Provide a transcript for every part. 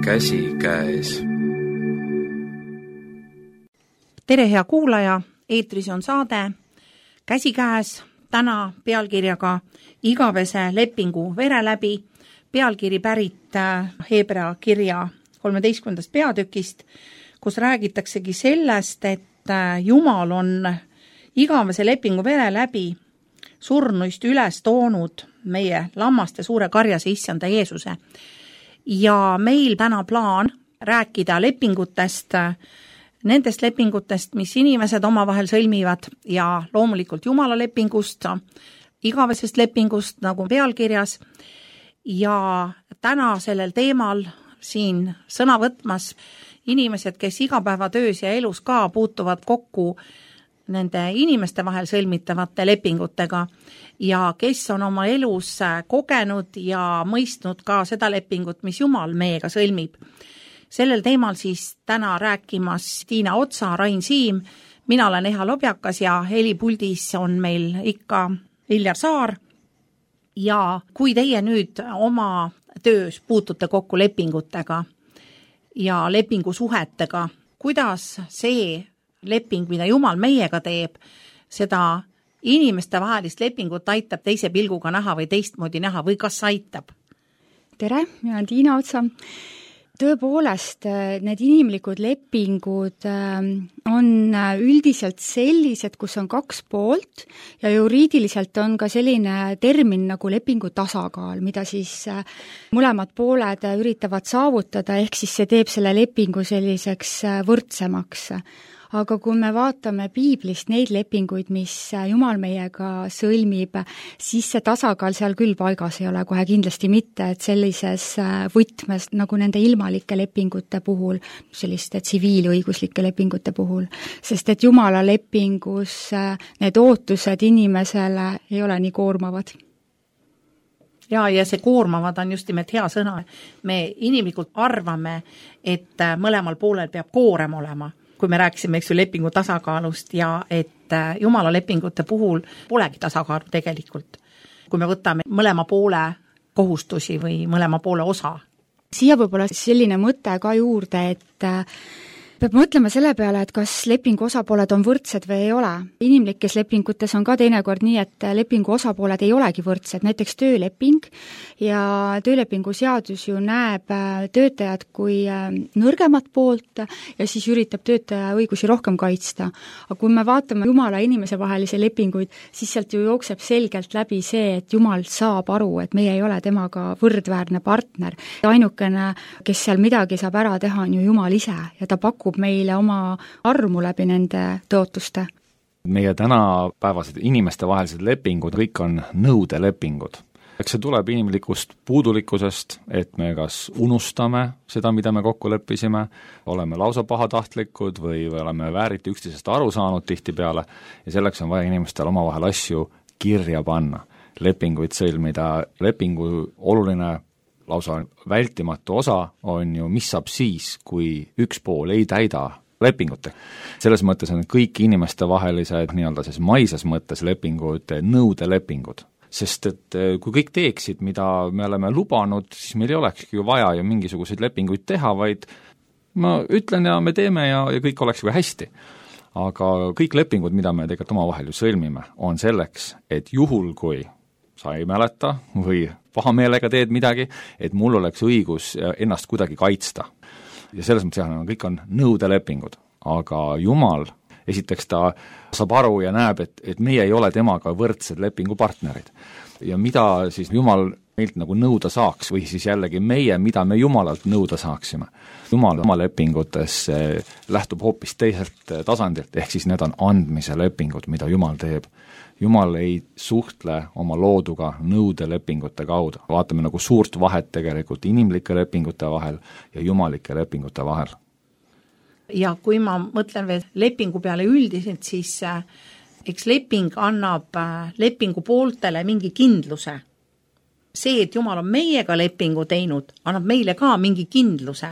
käsikäes. Tere, hea kuulaja, eetris on saade Käsikäes, täna pealkirjaga Igavese lepingu vere läbi, pealkiri pärit Hebra kirja 13. peatükist, kus räägitaksegi sellest, et Jumal on igavese lepingu vere läbi surnuist üles toonud meie lammaste suure karjase issanda Jeesuse. Ja meil täna plaan rääkida lepingutest, nendest lepingutest, mis inimesed omavahel sõlmivad ja loomulikult Jumala lepingust, igavesest lepingust nagu pealkirjas. Ja täna sellel teemal siin sõna võtmas inimesed, kes igapäevatöös ja elus ka puutuvad kokku nende inimeste vahel sõlmitavate lepingutega ja kes on oma elus kogenud ja mõistnud ka seda lepingut, mis Jumal meiega sõlmib. Sellel teemal siis täna rääkimas Tiina Otsa, Rain Siim, mina olen Eha Lobjakas ja helipuldis on meil ikka Viljar Saar. Ja kui teie nüüd oma töös puutute kokku lepingutega ja lepingusuhetega, kuidas see leping, mida Jumal meiega teeb, seda inimeste vahelist lepingut aitab teise pilguga näha või teistmoodi näha või kas aitab? Tere, mina olen Tiina Otsa. Tõepoolest, need inimlikud lepingud on üldiselt sellised, kus on kaks poolt ja juriidiliselt on ka selline termin nagu lepingu tasakaal, mida siis mõlemad pooled üritavad saavutada, ehk siis see teeb selle lepingu selliseks võrdsemaks. Aga kui me vaatame piiblist neid lepinguid, mis Jumal meiega sõlmib, siis see tasakaal seal küll paigas ei ole, kohe kindlasti mitte, et sellises võtmes nagu nende ilmalike lepingute puhul, selliste tsiviilõiguslike lepingute puhul, sest et Jumala lepingus need ootused inimesele ei ole nii koormavad. Ja see koormavad on just nimelt hea sõna. Me inimlikult arvame, et mõlemal poolel peab koorem olema, kui me rääkisime lepingu tasakaalust ja et Jumala lepingute puhul polegi tasakaalu tegelikult, kui me võtame mõlema poole kohustusi või mõlema poole osa. Siia võib-olla selline mõte ka juurde, et peab mõtlema selle peale, et kas lepingu osapooled on võrdsed või ei ole. Inimlikes lepingutes on ka teinekord nii, et lepingu osapooled ei olegi võrdsed, näiteks tööleping ja töölepingu seadus ju näeb töötajad kui nõrgemat poolt ja siis üritab töötaja õigusi rohkem kaitsta. Aga kui me vaatame Jumala ja inimese vahelisi lepinguid, siis sealt ju jookseb selgelt läbi see, et Jumal saab aru, et meie ei ole temaga võrdväärne partner. Ainukene, kes seal midagi saab ära teha, on ju Jumal ise ja ta pakub meile oma armu läbi nende tõotuste. Meie tänapäevased inimeste vahelised lepingud, kõik on nõudelepingud. Eks see tuleb inimlikust puudulikkusest, et me kas unustame seda, mida me kokku leppisime, oleme lausa pahatahtlikud või oleme vääriti üksteisest aru saanud tihtipeale ja selleks on vaja inimestel omavahel asju kirja panna, lepinguid sõlmida. Lepingu oluline lausa vältimatu osa on ju, mis saab siis, kui üks pool ei täida lepingut. Selles mõttes on kõik inimeste vahelised nii-öelda siis maises mõttes lepingud nõudelepingud. Sest et kui kõik teeksid, mida me oleme lubanud, siis meil ei olekski ju vaja ju mingisuguseid lepinguid teha, vaid ma ütlen ja me teeme ja kõik oleks ju hästi. Aga kõik lepingud, mida me tegelikult omavahel ju sõlmime, on selleks, et juhul kui sa ei mäleta või pahameelega teed midagi, et mul oleks õigus ennast kuidagi kaitsta. Ja selles mõttes kõik on nõudelepingud, aga Jumal, esiteks ta saab aru ja näeb, et meie ei ole temaga võrdsed lepingupartnerid. Ja mida siis Jumal meilt nagu nõuda saaks või siis jällegi meie, mida me Jumalalt nõuda saaksime. Jumal oma lepingutes lähtub hoopis teiselt tasandilt, ehk siis need on andmise lepingud, mida Jumal teeb. Jumal ei suhtle oma looduga nõudelepingute kaudu. Vaatame nagu suurt vahet tegelikult inimlike lepingute vahel ja jumalike lepingute vahel. Ja kui ma mõtlen veel lepingu peale üldiselt, siis eks leping annab lepingu pooltele mingi kindluse. See, et Jumal on meiega lepingu teinud, annab meile ka mingi kindluse.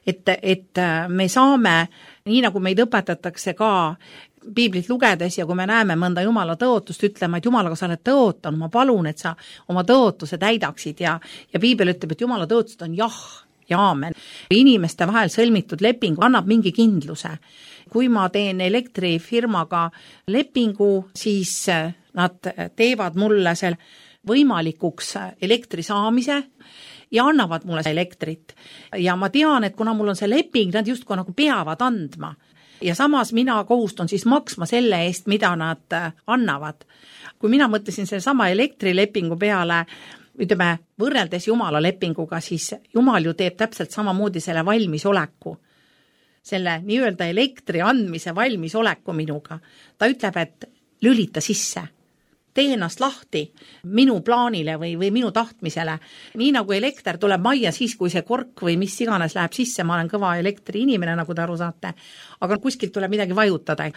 Et me saame, nii nagu meid õpetatakse ka piiblit lugedes ja kui me näeme mõnda Jumala tõotust, ütlema, et Jumalaga sa oled tõotanud, ma palun, et sa oma tõotuse täidaksid ja piibel ütleb, et Jumala tõotused on jah ja aamen. Inimeste vahel sõlmitud leping annab mingi kindluse. Kui ma teen elektrifirmaga lepingu, siis nad teevad mulle selle võimalikuks elektri saamise ja annavad mulle elektrit. Ja ma tean, et kuna mul on see leping, nad justkui nagu peavad andma. Ja samas mina kohustun siis maksma selle eest, mida nad annavad. Kui mina mõtlesin selle sama elektrilepingu peale, ütleme, võrreldes Jumala lepinguga, siis Jumal ju teeb täpselt samamoodi selle valmisoleku. Selle nii-öelda elektri andmise valmisoleku minuga. Ta ütleb, et lülita sisse. Tee ennast lahti minu plaanile või minu tahtmisele. Nii nagu elekter tuleb majja siis, kui see kork või mis iganes läheb sisse, ma olen kõva elektri inimene, nagu te aru saate, aga kuskilt tuleb midagi vajutada.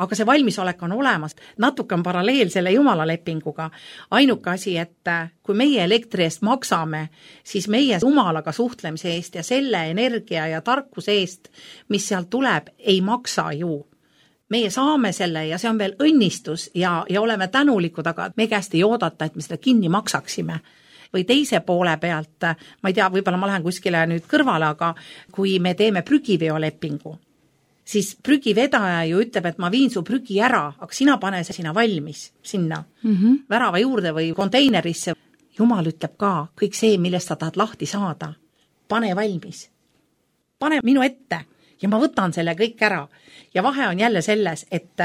Aga see valmisolek on olemas. Natuke on paralleel selle Jumala lepinguga. Ainuke asi, et kui meie elektri eest maksame, siis meie Jumalaga suhtlemise eest ja selle energia ja tarkuse eest, mis sealt tuleb, ei maksa ju. Meie saame selle ja see on veel õnnistus ja oleme tänulikud, aga me käest ei oodata, et me seda kinni maksaksime. Või teise poole pealt, ma ei tea, võib-olla ma lähen kuskile nüüd kõrvale, aga kui me teeme prügiveolepingu, siis prügivedaja ju ütleb, et ma viin su prügi ära, aga sina pane see sinna valmis, sinna värava juurde või konteinerisse. Jumal ütleb ka, kõik see, millest sa tahad lahti saada, pane valmis. Pane minu ette. Ja ma võtan selle kõik ära. Ja vahe on jälle selles, et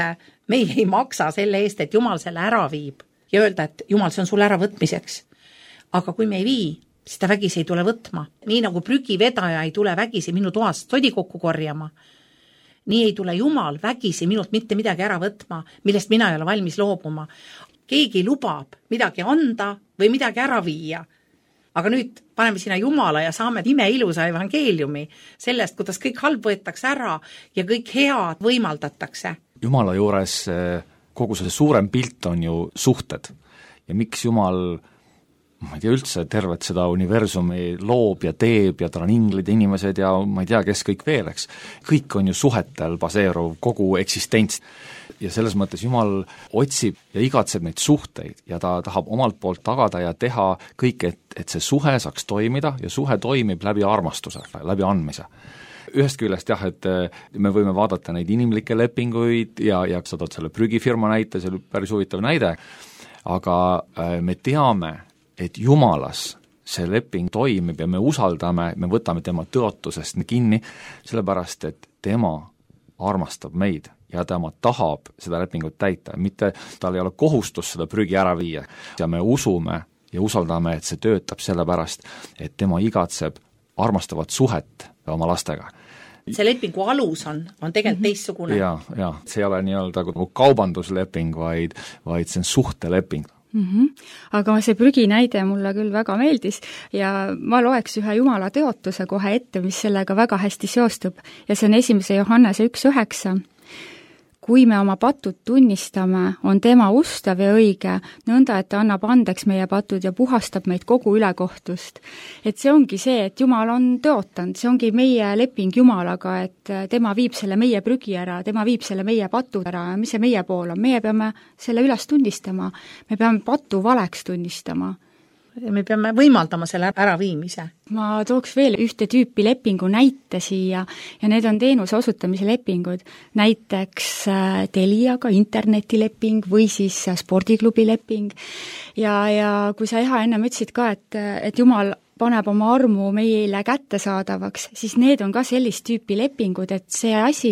meie ei maksa selle eest, et Jumal selle ära viib. Ja öelda, et Jumal, see on sul ära võtmiseks. Aga kui me ei vii, siis ta vägisi ei tule võtma. Nii nagu prügivedaja ei tule vägisi minu toast sodi kokku korjama. Nii ei tule Jumal vägisi minult mitte midagi ära võtma, millest mina ei ole valmis loobuma. Keegi lubab midagi anda või midagi ära viia. Aga nüüd paneme sinna Jumala ja saame imeilusa evangeeliumi sellest, kuidas kõik halb võetakse ära ja kõik head võimaldatakse. Jumala juures kogu see suurem pilt on ju suhted. Ja miks Jumal, ma ei tea üldse, tervet seda universumi loob ja teeb ja tal on inglid ja inimesed ja ma ei tea, kes kõik veel, eks. Kõik on ju suhetel baseeruv kogu eksistents. Ja selles mõttes Jumal otsib ja igatseb neid suhteid ja ta tahab omalt poolt tagada ja teha kõik, et see suhe saaks toimida ja suhe toimib läbi armastuse, läbi andmise. Ühest küljest jah, et me võime vaadata neid inimlikke lepinguid ja sa tood selle prügifirma näite, see oli päris huvitav näide, aga me teame, et Jumalas see leping toimib ja me usaldame, me võtame tema tõotusest kinni, sellepärast et tema armastab meid ja tema tahab seda lepingut täita, mitte tal ei ole kohustus seda prügi ära viia ja me usume ja usaldame, et see töötab sellepärast, et tema igatseb armastavat suhet oma lastega. See lepingu alus on tegelikult teistsugune. Ja, see ei ole nii-öelda kaubandusleping, vaid see on suhteleping. Aga see prügi näide mulle küll väga meeldis ja ma loeks ühe Jumala teotuse kohe ette, mis sellega väga hästi seostub ja see on 1. Johannese 1.9. Kui me oma patud tunnistame, on tema ustav ja õige, nõnda, et ta annab andeks meie patud ja puhastab meid kogu ülekohtust. Et see ongi see, et Jumal on tõotanud, see ongi meie leping Jumalaga, et tema viib selle meie prügi ära, tema viib selle meie patud ära ja mis see meie pool on, meie peame selle üles tunnistama, me peame patu valeks tunnistama. Me peame võimaldama selle äraviimise. Ma tooks veel ühte tüüpi lepingu näite siia ja need on teenuse osutamise lepingud. Näiteks Teliaga internetileping või siis spordiklubi leping. Ja kui sa enne ütlesid ka, et Jumal paneb oma armu meile kättesaadavaks, siis need on ka sellist tüüpi lepingud, et see asi,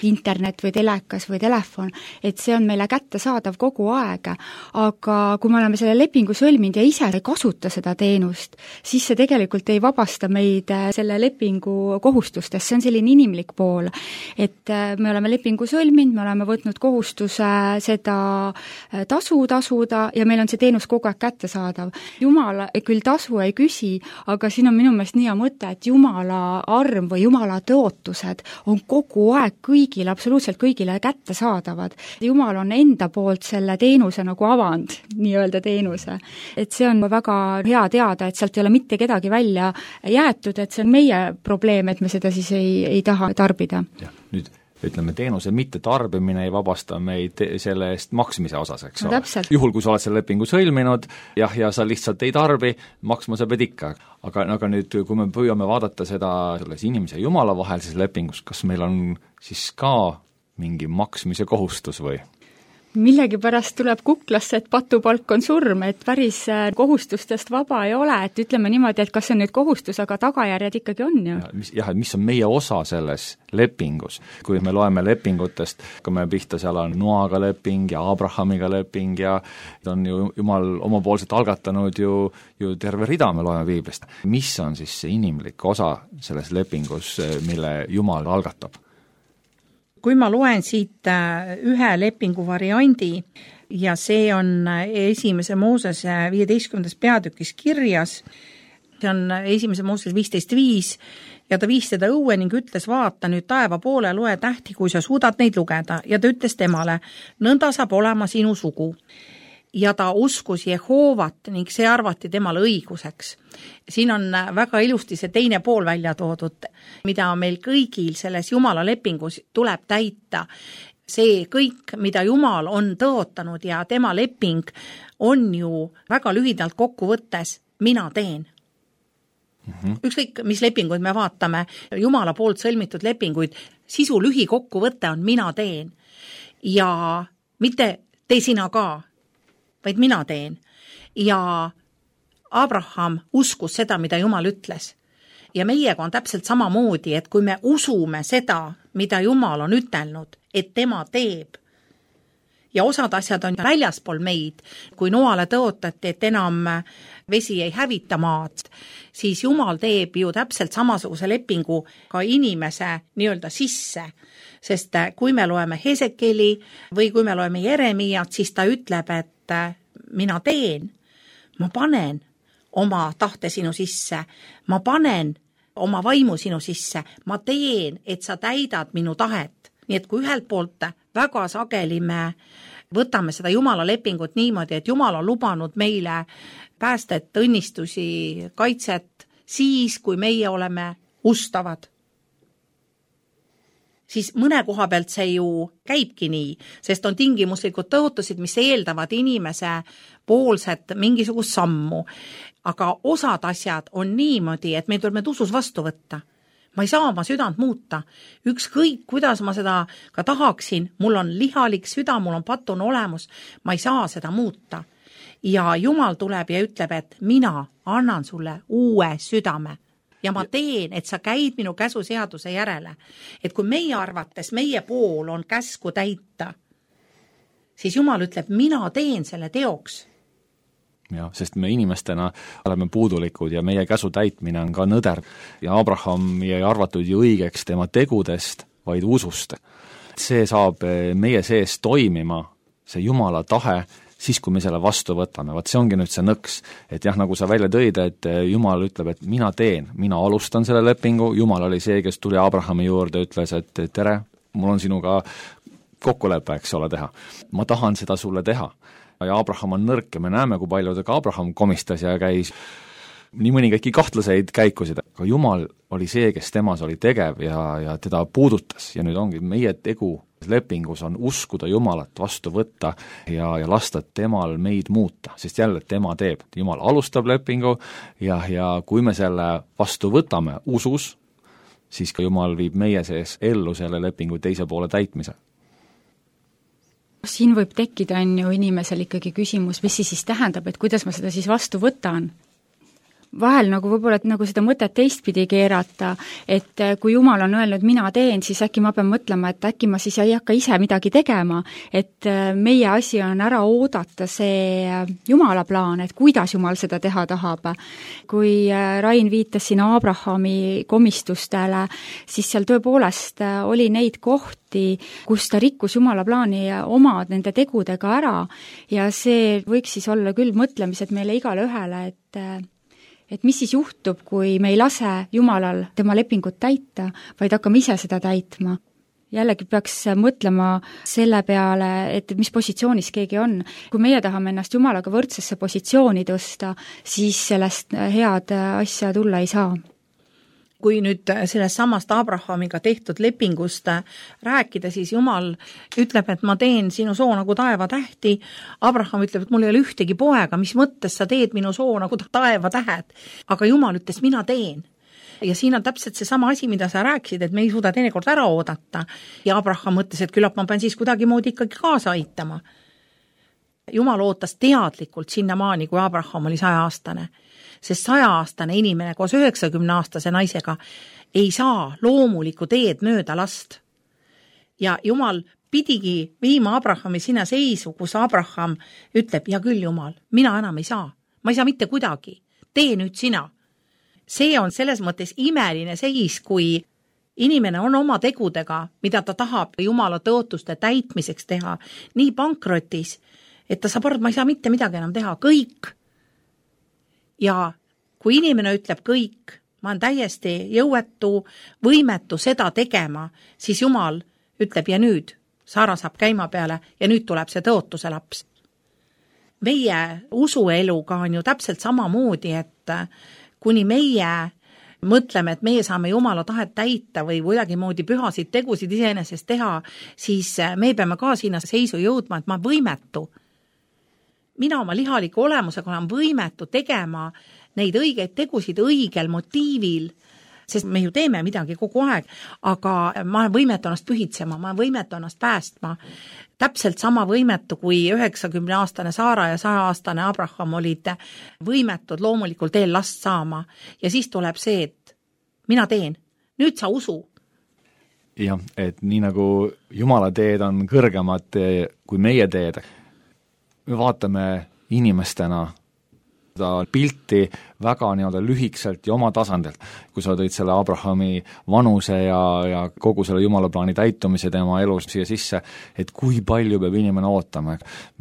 internet või telekas või telefon, et see on meile kättesaadav kogu aeg. Aga kui me oleme selle lepingu sõlminud ja ise ei kasuta seda teenust, siis see tegelikult ei vabasta meid selle lepingu kohustustest, see on selline inimlik pool. Et me oleme lepingu sõlminud, me oleme võtnud kohustuse seda tasuda ja meil on see teenus kogu aeg kättesaadav. Jumal küll tasu ei küsi, aga siin on minu meelest nii hea mõte, et Jumala arm või Jumala tõotused on kogu aeg kõigile, absoluutselt kõigile kättesaadavad. Jumal on enda poolt selle teenuse nagu avand, nii-öelda teenuse. Et see on väga hea teada, et sealt ei ole mitte kedagi välja jäetud, et see on meie probleem, et me seda siis ei taha tarbida. Ja, nüüd ütleme, teenuse mittetarbimine ei vabasta meid selle eest maksmise osas, eks no, ole. Juhul, kui sa oled selle lepingu sõlminud, ja sa lihtsalt ei tarbi, maksma sa pead ikka. Aga nüüd, kui me püüame vaadata seda selles inimese ja Jumala vahelises lepingus, kas meil on siis ka mingi maksmise kohustus või? Millegipärast tuleb kuklasse, et patupalk on surm, et päris kohustustest vaba ei ole, et ütleme niimoodi, et kas see on nüüd kohustus, aga tagajärjed ikkagi on ju. Mis on meie osa selles lepingus? Kui me loeme lepingutest, kui me pihta, seal on Noaga leping ja Abrahamiga leping ja on ju Jumal omapoolselt algatanud ju terve rida, me loeme Piiblist. Mis on siis see inimlik osa selles lepingus, mille Jumal algatab? Kui ma loen siit ühe lepingu variandi ja see on esimese Moosese 15. peatükis kirjas, see on esimese Moosese 15.5 ja ta viis teda õue ning ütles, vaata nüüd taeva poole, loe tähti, kui sa suudad neid lugeda, ja ta ütles temale, nõnda saab olema sinu sugu. Ja ta uskus Jehoovat ning see arvati temale õiguseks. Siin on väga ilusti see teine pool välja toodud, mida meil kõigil selles Jumala lepingus tuleb täita. See kõik, mida Jumal on tõotanud ja tema leping on ju väga lühidalt kokku võttes, mina teen. Ükskõik, mis lepinguid me vaatame, Jumala poolt sõlmitud lepinguid, sisu lühikokkuvõte on mina teen. Ja mitte tee sina ka, vaid mina teen. Ja Abraham uskus seda, mida Jumal ütles. Ja meiega on täpselt samamoodi, et kui me usume seda, mida Jumal on ütelnud, et tema teeb, ja osad asjad on väljaspool meid, kui Noale tõotati, et enam vesi ei hävita maad, siis Jumal teeb ju täpselt samasuguse lepingu ka inimese nii-öelda sisse. Sest kui me loeme Hesekeli või kui me loeme Jeremiat, siis ta ütleb, et mina teen, ma panen oma tahte sinu sisse, ma panen oma vaimu sinu sisse, ma teen, et sa täidad minu tahet. Nii et kui ühelt poolt väga sageli me võtame seda Jumala lepingut niimoodi, et Jumal on lubanud meile päästet, õnnistusi, kaitset, siis kui meie oleme ustavad, siis mõne koha pealt see ju käibki nii, sest on tingimuslikud tõotused, mis eeldavad inimese poolset mingisugust sammu. Aga osad asjad on niimoodi, et meil tuleb need usus vastu võtta. Ma ei saa oma südant muuta. Ükskõik, kuidas ma seda ka tahaksin, mul on lihalik süda, mul on patune olemus, ma ei saa seda muuta. Ja Jumal tuleb ja ütleb, et mina annan sulle uue südame. Ja ma teen, et sa käid minu käsuseaduse järele. Et kui meie arvates, meie pool on käsku täita, siis Jumal ütleb, mina teen selle teoks. Ja, sest me inimestena oleme puudulikud ja meie käsu täitmine on ka nõder. Ja Abraham ei arvatud ju õigeks tema tegudest, vaid usust. See saab meie sees toimima, see Jumala tahe, siis kui me selle vastu võtame. Vaat see ongi nüüd see nõks, et jah, nagu sa välja tõid, et Jumal ütleb, et mina teen, mina alustan selle lepingu, Jumal oli see, kes tuli Abrahami juurde, ütles, et tere, mul on sinuga kokkulepe, eks ole, teha. Ma tahan seda sulle teha. Ja Abraham on nõrk ja me näeme, kui palju ka Abraham komistas ja käis nii mõningaidki kahtlaseid käikusid. Aga Jumal oli see, kes temas oli tegev ja teda puudutas ja nüüd ongi meie tegu lepingus on uskuda Jumalat, vastu võtta ja lasta temal meid muuta, sest jälle tema teeb. Jumal alustab lepingu ja kui me selle vastu võtame usus, siis ka Jumal viib meie sees ellu selle lepingu teise poole täitmise. Siin võib tekkida on ju inimesel ikkagi küsimus, mis siis tähendab, et kuidas ma seda siis vastu võtan? Vahel nagu võib-olla nagu seda mõtet teistpidi keerata, et kui Jumal on öelnud, mina teen, siis äkki ma pean mõtlema, et äkki ma siis ei hakka ise midagi tegema, et meie asi on ära oodata see Jumala plaan, et kuidas Jumal seda teha tahab. Kui Rain viitas siin Abrahami komistustele, siis seal tõepoolest oli neid kohti, kus ta rikkus Jumala plaani oma nende tegudega ära ja see võiks siis olla küll mõtlemised meile igale ühele, et mis siis juhtub, kui me ei lase Jumalal tema lepingut täita, vaid hakkame ise seda täitma. Jällegi peaks mõtlema selle peale, et mis positsioonis keegi on. Kui meie tahame ennast Jumalaga võrdsesse positsiooni tõsta, siis sellest head asja tulla ei saa. kui nüüd sellest samast Abrahamiga tehtud lepingust rääkida, siis Jumal ütleb, et ma teen sinu soo nagu taevatähti. Abraham ütleb, et mul ei ole ühtegi poega, mis mõttes sa teed minu soo nagu taevatähed. Aga Jumal ütles, mina teen. Ja siin on täpselt see sama asi, mida sa rääkisid, et me ei suuda teinekord ära oodata. Ja Abraham mõtles, et küllap ma pean siis kuidagimoodi ikkagi kaasa aitama. Jumal ootas teadlikult sinnamaani, kui Abraham oli 100-aastane. Sest 100-aastane inimene koos 90-aastase naisega ei saa loomulikku teed mööda last. Ja Jumal pidigi viima Abrahami sinna seisu, kus Abraham ütleb, ja küll Jumal, mina enam ei saa. Ma ei saa mitte kuidagi. Tee nüüd sina. See on selles mõttes imeline seis, kui inimene on oma tegudega, mida ta tahab Jumala tõotuste täitmiseks teha, nii pankrotis, et ta saab aru, et ma ei saa mitte midagi enam teha, kõik. Ja kui inimene ütleb kõik, ma olen täiesti jõuetu, võimetu seda tegema, siis Jumal ütleb, ja nüüd Saara saab käima peale ja nüüd tuleb see tõotuse laps. Meie usueluga on ju täpselt samamoodi, et kuni meie mõtleme, et meie saame Jumala tahet täita või kuidagimoodi pühasid tegusid iseenesest teha, siis me peame ka sinna seisu jõudma, et ma võimetu. Mina oma lihaliku olemusega olen võimetu tegema neid õigeid tegusid õigel motiivil, sest me ju teeme midagi kogu aeg, aga ma olen võimetu ennast pühitsema, ma olen võimetu ennast päästma. Täpselt sama võimetu, kui 90-aastane Saara ja 100-aastane Abraham olid võimetud loomulikult eel last saama. Ja siis tuleb see, et mina teen, nüüd sa usu. Jah, et nii nagu Jumala teed on kõrgemad kui meie teed, me vaatame inimestena seda pilti väga nii-öelda lühikselt ja oma tasandilt. Kui sa tõid selle Abrahami vanuse ja kogu selle Jumala plaani täitumise tema elus siia sisse, et kui palju peab inimene ootama.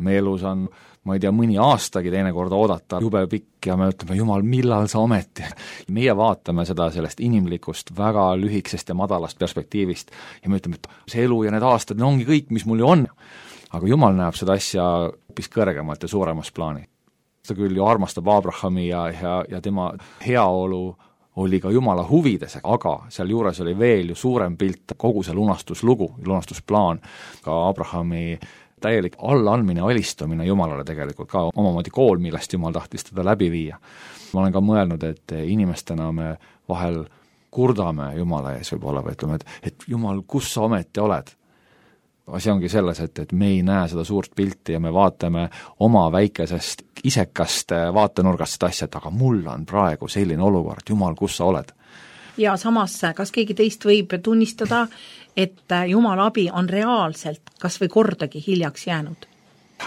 Meie elus on, ma ei tea, mõni aastagi teinekord oodata, jube pikk ja me ütleme, Jumal, millal sa ometi? Meie vaatame seda sellest inimlikust, väga lühikesest ja madalast perspektiivist ja me ütleme, et see elu ja need aastad ongi kõik, mis mul ju on. Aga Jumal näeb seda asja hoopis kõrgemalt ja suuremas plaani. Ta küll ju armastab Abrahami ja tema heaolu oli ka Jumala huvides, aga seal juures oli veel ju suurem pilt, kogu see lunastuslugu, lunastusplaan, ka Abrahami täielik allaandmine, alistumine Jumalale tegelikult ka omamoodi kool, millest Jumal tahtis teda läbi viia. Ma olen ka mõelnud, et inimestena me vahel kurdame Jumala ees võib-olla või ütleme, et Jumal, kus sa ometi oled? Asi ongi selles, et me ei näe seda suurt pilti ja me vaatame oma väikesest isekast vaatenurgast seda asja, et aga mul on praegu selline olukord, Jumal, kus sa oled? Ja samas, kas keegi teist võib tunnistada, et Jumala abi on reaalselt kas või kordagi hiljaks jäänud?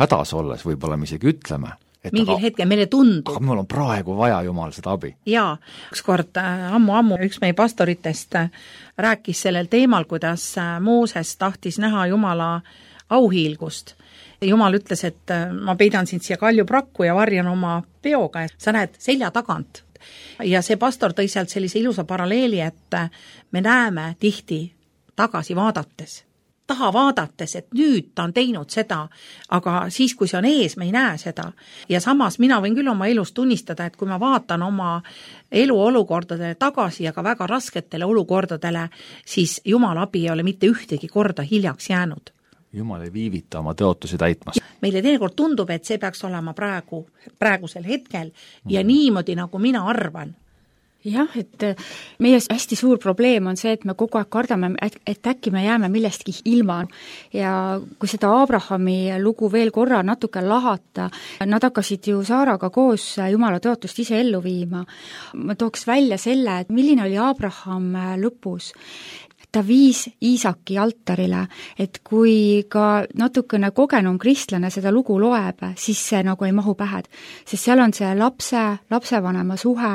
Hädas olles võib-olla me isegi ütleme, et mingil hetkel meile tundub. Aga mul on praegu vaja Jumal seda abi. Jaa, ükskord ammu üks meie pastoritest rääkis sellel teemal, kuidas Mooses tahtis näha Jumala auhiilgust. Jumal ütles, et ma peidan sind siia kaljuprakku ja varjan oma peoga, et sa näed selja tagant. Ja see pastor tõi sealt sellise ilusa paralleeli, et me näeme tihti tagasi vaadates. Taha vaadates, et nüüd ta on teinud seda, aga siis, kui see on ees, me ei näe seda. Ja samas mina võin küll oma elus tunnistada, et kui ma vaatan oma eluolukordadele tagasi ja ka väga rasketele olukordadele, siis Jumala abi ei ole mitte ühtegi korda hiljaks jäänud. Jumal ei viivita oma tõotusi täitmas. Meile teinekord tundub, et see peaks olema praegusel hetkel ja niimoodi, nagu mina arvan. Jah, et meie hästi suur probleem on see, et me kogu aeg kardame, et äkki me jääme millestki ilma. Ja kui seda Abrahami lugu veel korra natuke lahata, nad hakkasid ju Saaraga koos Jumala tõotust ise ellu viima. Ma tooks välja selle, et milline oli Abraham lõpus. Ta viis Iisaki altarile, et kui ka natukene kogenum kristlane seda lugu loeb, siis see nagu ei mahu pähed. Sest seal on see lapsevanema suhe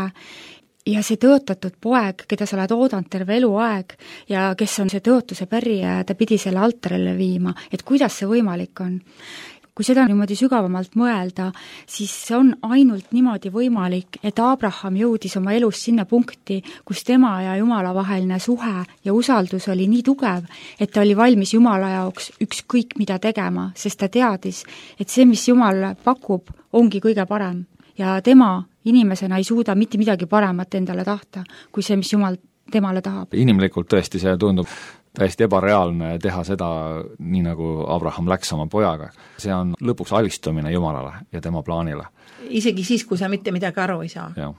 ja see tõotatud poeg, keda sa oled oodanud terve eluaeg ja kes on see tõotuse pärija ja ta pidi selle altarile viima, et kuidas see võimalik on. Kui seda niimoodi sügavamalt mõelda, siis see on ainult niimoodi võimalik, et Abraham jõudis oma elus sinna punkti, kus tema ja Jumala vaheline suhe ja usaldus oli nii tugev, et ta oli valmis Jumala jaoks ükskõik mida tegema, sest ta teadis, et see, mis Jumal pakub, ongi kõige parem ja tema inimesena ei suuda mitte midagi paremat endale tahta, kui see, mis Jumal temale tahab. Inimlikult tõesti see tundub täiesti ebareaalne teha seda, nii nagu Abraham läks oma pojaga. See on lõpuks alistumine Jumalale ja tema plaanile. Isegi siis, kui sa mitte midagi aru ei saa. Jah.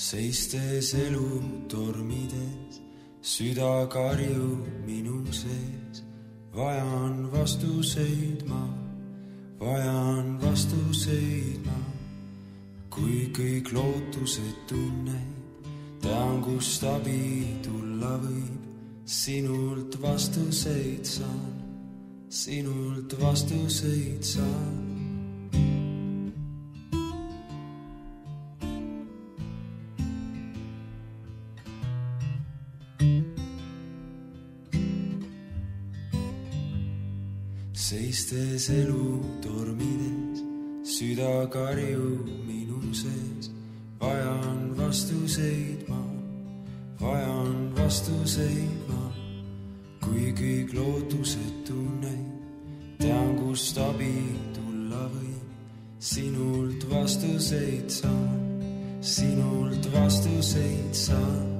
Seistes elu tormides, süda karjub minu sees. Vajan vastuseid ma, kui kõik lootused tunned, tean, kust abi tulla võib. Sinult vastuseid saan. Seistes elu tormides, süda karjub minu sees. Vajan vastuseid ma, kui kõik lootused tunnen, tean, kust abi tulla võib. Sinult vastuseid saan.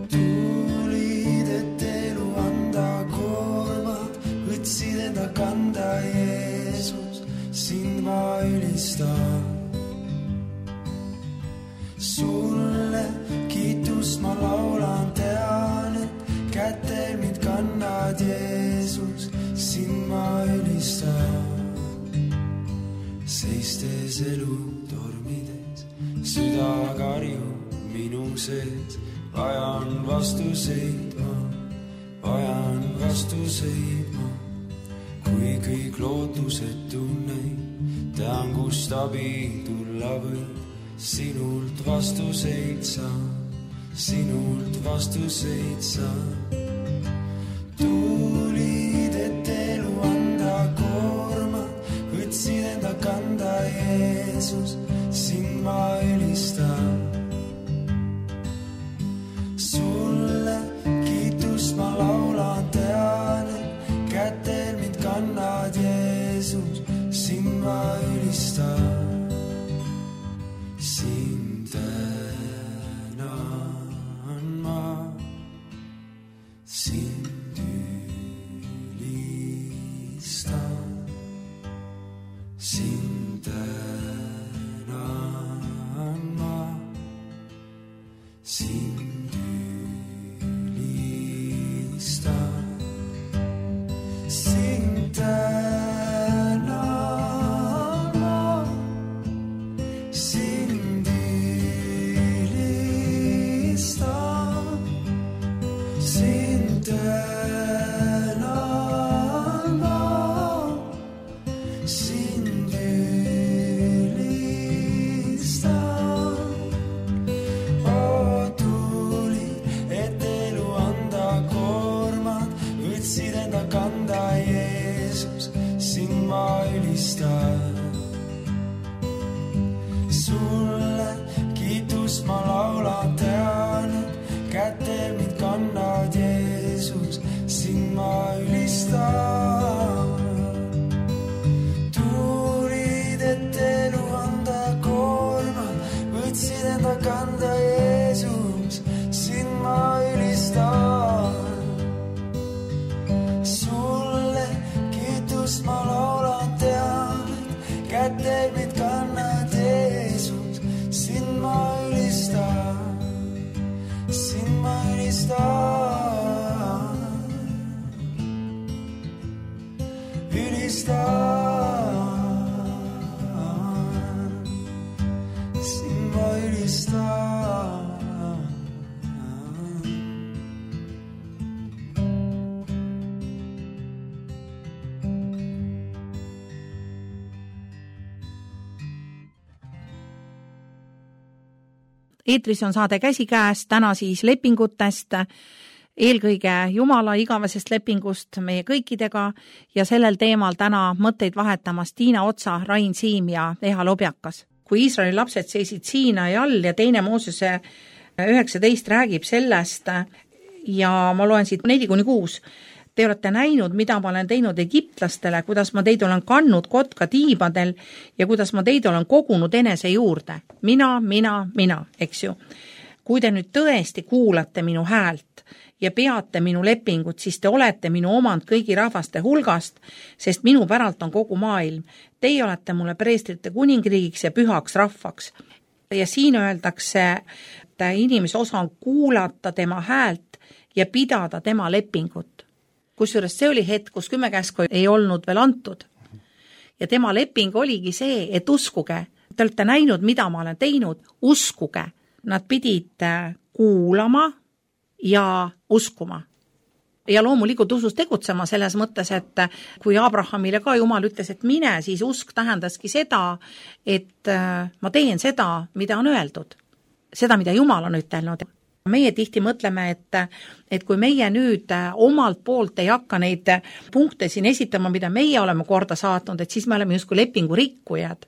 Tulid, et elu anda koormad, võtsid enda kanda, Jeesus, sind ma ülistan. Sulle kiitust ma laulan, tean, et kätel mind kannad, Jeesus, sind ma ülistan. Seistes elu tormides, süda karjub minu sees. Vajan vastuseid ma, kui kõik lootused tunnen, tean, kust abi tulla võib. Sinult vastuseid saan. Tulid, et elu anda koorma, võtsid enda kanda, Jeesus, sind ma ülistan. Sulle kiitust ma laulan, tean, et kätel mind kannad, Jeesus, sind ma ülistan. Sind tänan ma, sind ülistan. Sind tänan ma, sind ülistan. Sind tänan ma, sind ülistan. Sind tänan ma, sind ülistan. Tuli, et elu anda koormad, võtsid enda kanda, Jeesus, sind ma ülistan. Sulle kiitust ma laulan, tean, et kätel mind kannad, Jeesus, sind ma ülistan. Tulid, et elu anda koormad, võtsid enda kanda, Jeesus, sind ma ülistan. Sulle kiitust ma laulan, tean, et kätel mind kannad, Jeesus, sind ma ülistan. Sind ma ülistan. Sind ma ülistan. Eetris on saade Käsikäes, täna siis lepingutest, eelkõige Jumala igavesest lepingust meie kõikidega ja sellel teemal täna mõtteid vahetamas Tiina Otsa, Rain Siim ja Eha Lobjakas. Kui Iisraeli lapsed seisid Siinai all ja 2. Moosese 19 räägib sellest ja ma loen siit 4-6. Te olete näinud, mida ma olen teinud egiptlastele, kuidas ma teid olen kannud kotka tiibadel ja kuidas ma teid olen kogunud enese juurde. Mina, eks ju. Kui te nüüd tõesti kuulate minu häält ja peate minu lepingut, siis te olete minu omand kõigi rahvaste hulgast, sest minu päralt on kogu maailm. Teie olete mulle preestrite kuningriigiks ja pühaks rahvaks. Ja siin öeldakse, et inimese osa on kuulata tema häält ja pidada tema lepingut. Kusjuures see oli hetk, kus 10 käsku ei olnud veel antud. Ja tema leping oligi see, et uskuge. Te olete näinud, mida ma olen teinud, uskuge. Nad pidid kuulama ja uskuma. Ja loomulikult usus tegutsema selles mõttes, et kui Abrahamile ka Jumal ütles, et mine, siis usk tähendaski seda, et ma teen seda, mida on öeldud. Seda, mida Jumal on ütelnud. Meie tihti mõtleme, et kui meie nüüd omalt poolt ei hakka neid punkte siin esitama, mida meie oleme korda saatnud, et siis me oleme justkui lepingu rikkujad.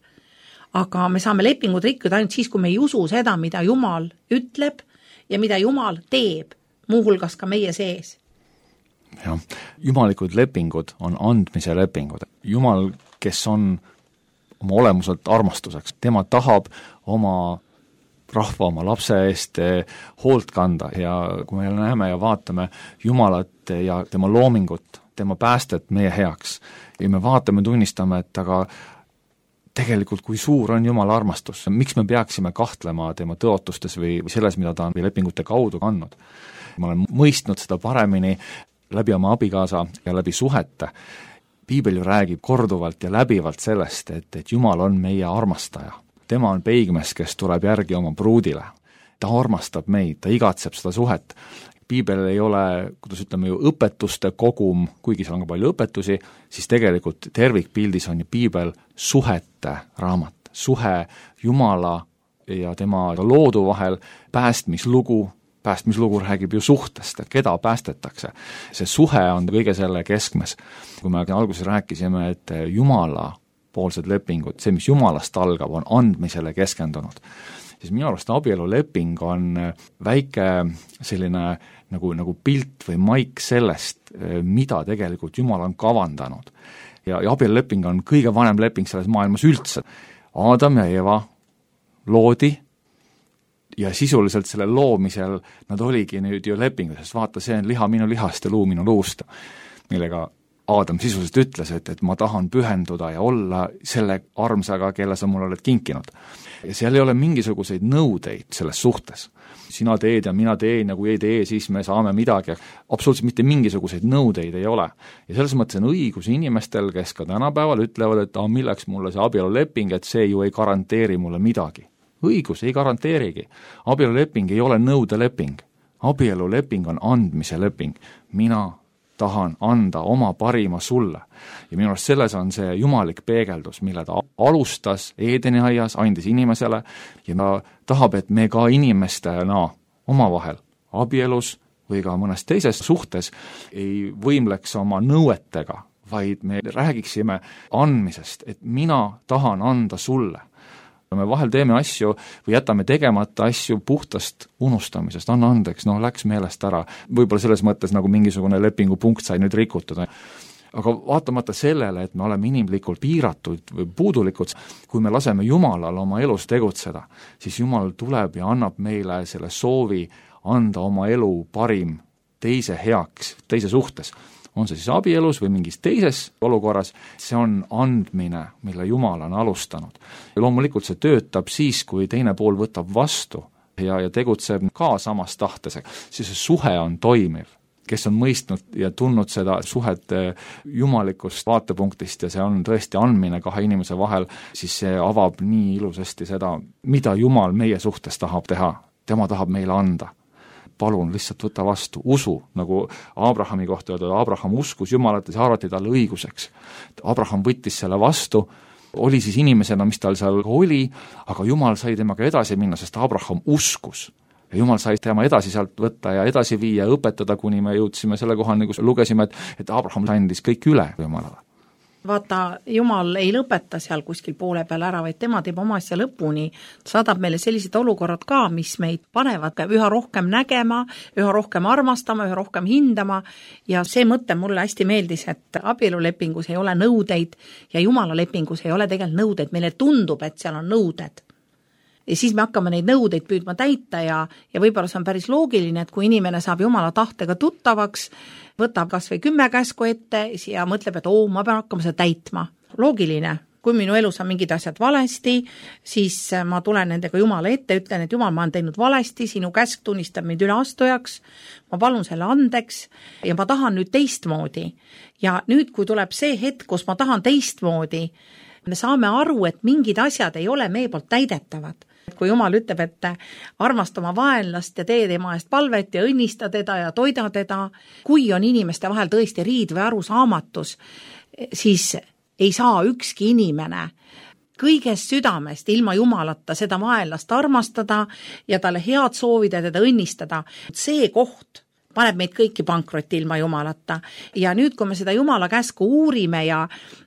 Aga me saame lepingud rikkuda ainult siis, kui me ei usu seda, mida Jumal ütleb ja mida Jumal teeb, muuhulgas ka meie sees. Jah, jumalikud lepingud on andmise lepingud. Jumal, kes on oma olemuselt armastuseks, tema tahab oma rahva oma lapse eest hoolt kanda ja kui me näeme ja vaatame Jumalat ja tema loomingut, tema päästet meie heaks ja me vaatame, tunnistame, et aga tegelikult kui suur on Jumala armastus, miks me peaksime kahtlema tema tõotustes või selles, mida ta on lepingute kaudu kandnud. Ma olen mõistnud seda paremini läbi oma abikaasa ja läbi suhete. Piibel ju räägib korduvalt ja läbivalt sellest, et Jumal on meie armastaja. Tema on peigmees, kes tuleb järgi oma pruudile. Ta armastab meid, ta igatseb seda suhet. Piibel ei ole, kuidas ütleme ju, õpetuste kogum, kuigi seal on ka palju õpetusi, siis tegelikult tervikpildis on ju Piibel suhete raamat. Suhe Jumala ja tema loodu vahel, päästmislugu räägib ju suhtest, et keda päästetakse. See suhe on kõige selle keskmes. Kui me alguses rääkisime, et Jumala poolsed lepingud, see, mis Jumalast algab, on andmisele keskendunud. Siis minu arust abieluleping on väike selline nagu pilt või maik sellest, mida tegelikult Jumal on kavandanud. Ja abieluleping on kõige vanem leping selles maailmas üldse. Aadam ja Eva loodi ja sisuliselt selle loomisel nad oligi nüüd ju lepingu, sest vaata, see on liha minu lihast ja luu minu luust, millega Aadam sisuliselt ütles, et ma tahan pühenduda ja olla selle armsaga, kelle sa mulle oled kinkinud. Ja seal ei ole mingisuguseid nõudeid selles suhtes. Sina teed ja mina teen ja kui ei tee, siis me saame midagi. Absoluutselt mitte mingisuguseid nõudeid ei ole. Ja selles mõttes on õigus inimestel, kes ka tänapäeval ütlevad, et milleks mulle see abieluleping, et see ju ei garanteeri mulle midagi. Õigus ei garanteerigi. Abieluleping ei ole nõudeleping. Abieluleping on andmise leping. Mina tahan anda oma parima sulle. Ja minu arust selles on see jumalik peegeldus, mille ta alustas Eedeni aias, andis inimesele ja ta tahab, et me ka inimestena omavahel abielus või ka mõnes teises suhtes ei võimleks oma nõuetega, vaid me räägiksime andmisest, et mina tahan anda sulle. Me vahel teeme asju või jätame tegemata asju puhtast unustamisest, anna andeks, läks meelest ära. Võib-olla selles mõttes nagu mingisugune lepingupunkt sai nüüd rikutud. Aga vaatamata sellele, et me oleme inimlikult piiratud või puudulikud, kui me laseme Jumalal oma elus tegutseda, siis Jumal tuleb ja annab meile selle soovi anda oma elu parim teise heaks, teise suhtes. On see siis abielus või mingis teises olukorras, see on andmine, mille Jumal on alustanud. Ja loomulikult see töötab siis, kui teine pool võtab vastu ja tegutseb ka samas tahtes, siis see suhe on toimiv. Kes on mõistnud ja tundnud seda suhet jumalikust vaatepunktist ja see on tõesti andmine kahe inimese vahel, siis see avab nii ilusasti seda, mida Jumal meie suhtes tahab teha. Tema tahab meile anda. Palun lihtsalt võta vastu, usu, nagu Abrahami kohta öelda, Abraham uskus Jumalat ja see arvati talle õiguseks. Abraham võttis selle vastu, oli siis inimesena, mis tal seal oli, aga Jumal sai temaga edasi minna, sest Abraham uskus. Ja Jumal sai tema edasi sealt võtta ja edasi viia, õpetada, kuni me jõudsime selle kohani, kus lugesime, et Abraham andis kõik üle Jumalale. vaata, Jumal ei lõpeta seal kuskil poole peal ära, vaid tema teeb oma asja lõpuni. Ta saadab meile sellised olukorrad ka, mis meid panevad üha rohkem nägema, üha rohkem armastama, üha rohkem hindama ja see mõte mulle hästi meeldis, et abielulepingus ei ole nõudeid ja Jumala lepingus ei ole tegelikult nõudeid. Meile tundub, et seal on nõuded. Ja siis me hakkame neid nõudeid püüdma täita ja võib-olla see on päris loogiline, et kui inimene saab Jumala tahtega tuttavaks, võtab kas või 10 käsku ette ja mõtleb, et ma pean hakkama seda täitma. Loogiline, kui minu elus on mingid asjad valesti, siis ma tulen nendega Jumala ette, ütlen, et Jumal, ma olen teinud valesti, sinu käsk tunnistab mind üleastujaks, ma palun selle andeks ja ma tahan nüüd teistmoodi. Ja nüüd, kui tuleb see hetk, kus ma tahan teistmoodi, me saame aru, et mingid asjad ei ole meie poolt täidetavad. Kui Jumal ütleb, et armasta oma vaenlast ja tee tema eest palvet ja õnnista teda ja toida teda, kui on inimeste vahel tõesti riid või arusaamatus, siis ei saa ükski inimene kõigest südamest ilma Jumalata seda vaenlast armastada ja talle head soovida ja teda õnnistada. See koht paneb meid kõiki pankrotti ilma Jumalata. Ja nüüd, kui me seda Jumala käsku uurime ja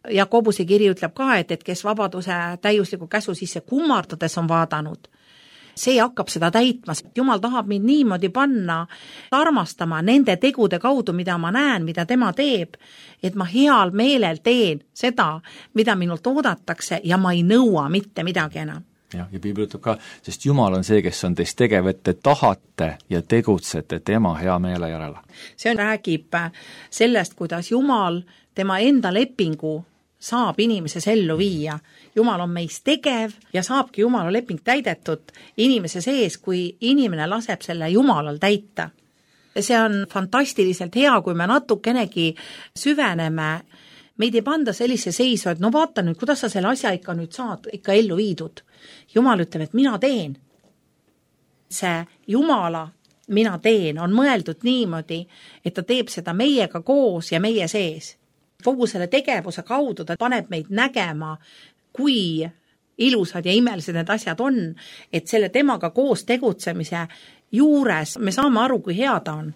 Jakobuse kiri ütleb ka, et kes vabaduse täiusliku käsu sisse kummardades on vaadanud, see hakkab seda täitma. Jumal tahab mind niimoodi panna armastama nende tegude kaudu, mida ma näen, mida tema teeb, et ma heal meelel teen seda, mida minult oodatakse ja ma ei nõua mitte midagi enam. Ja Piibel ütleb ka, sest Jumal on see, kes on teist tegev, et te tahate ja tegutsete tema hea meele järele. See räägib sellest, kuidas Jumal tema enda lepingu saab inimeses ellu viia. Jumal on meis tegev ja saabki Jumala leping täidetud inimese sees, kui inimene laseb selle Jumalal täita. See on fantastiliselt hea, kui me natukenegi süveneme. Meid ei panda sellise seisu, et vaata nüüd, kuidas sa selle asja ikka nüüd saad ikka ellu viidud. Jumal ütleb, et mina teen. See Jumala mina teen on mõeldud niimoodi, et ta teeb seda meiega koos ja meie sees. Kogu selle tegevuse kaudu ta paneb meid nägema, kui ilusad ja imelised need asjad on, et selle temaga koos tegutsemise juures me saame aru, kui hea ta on.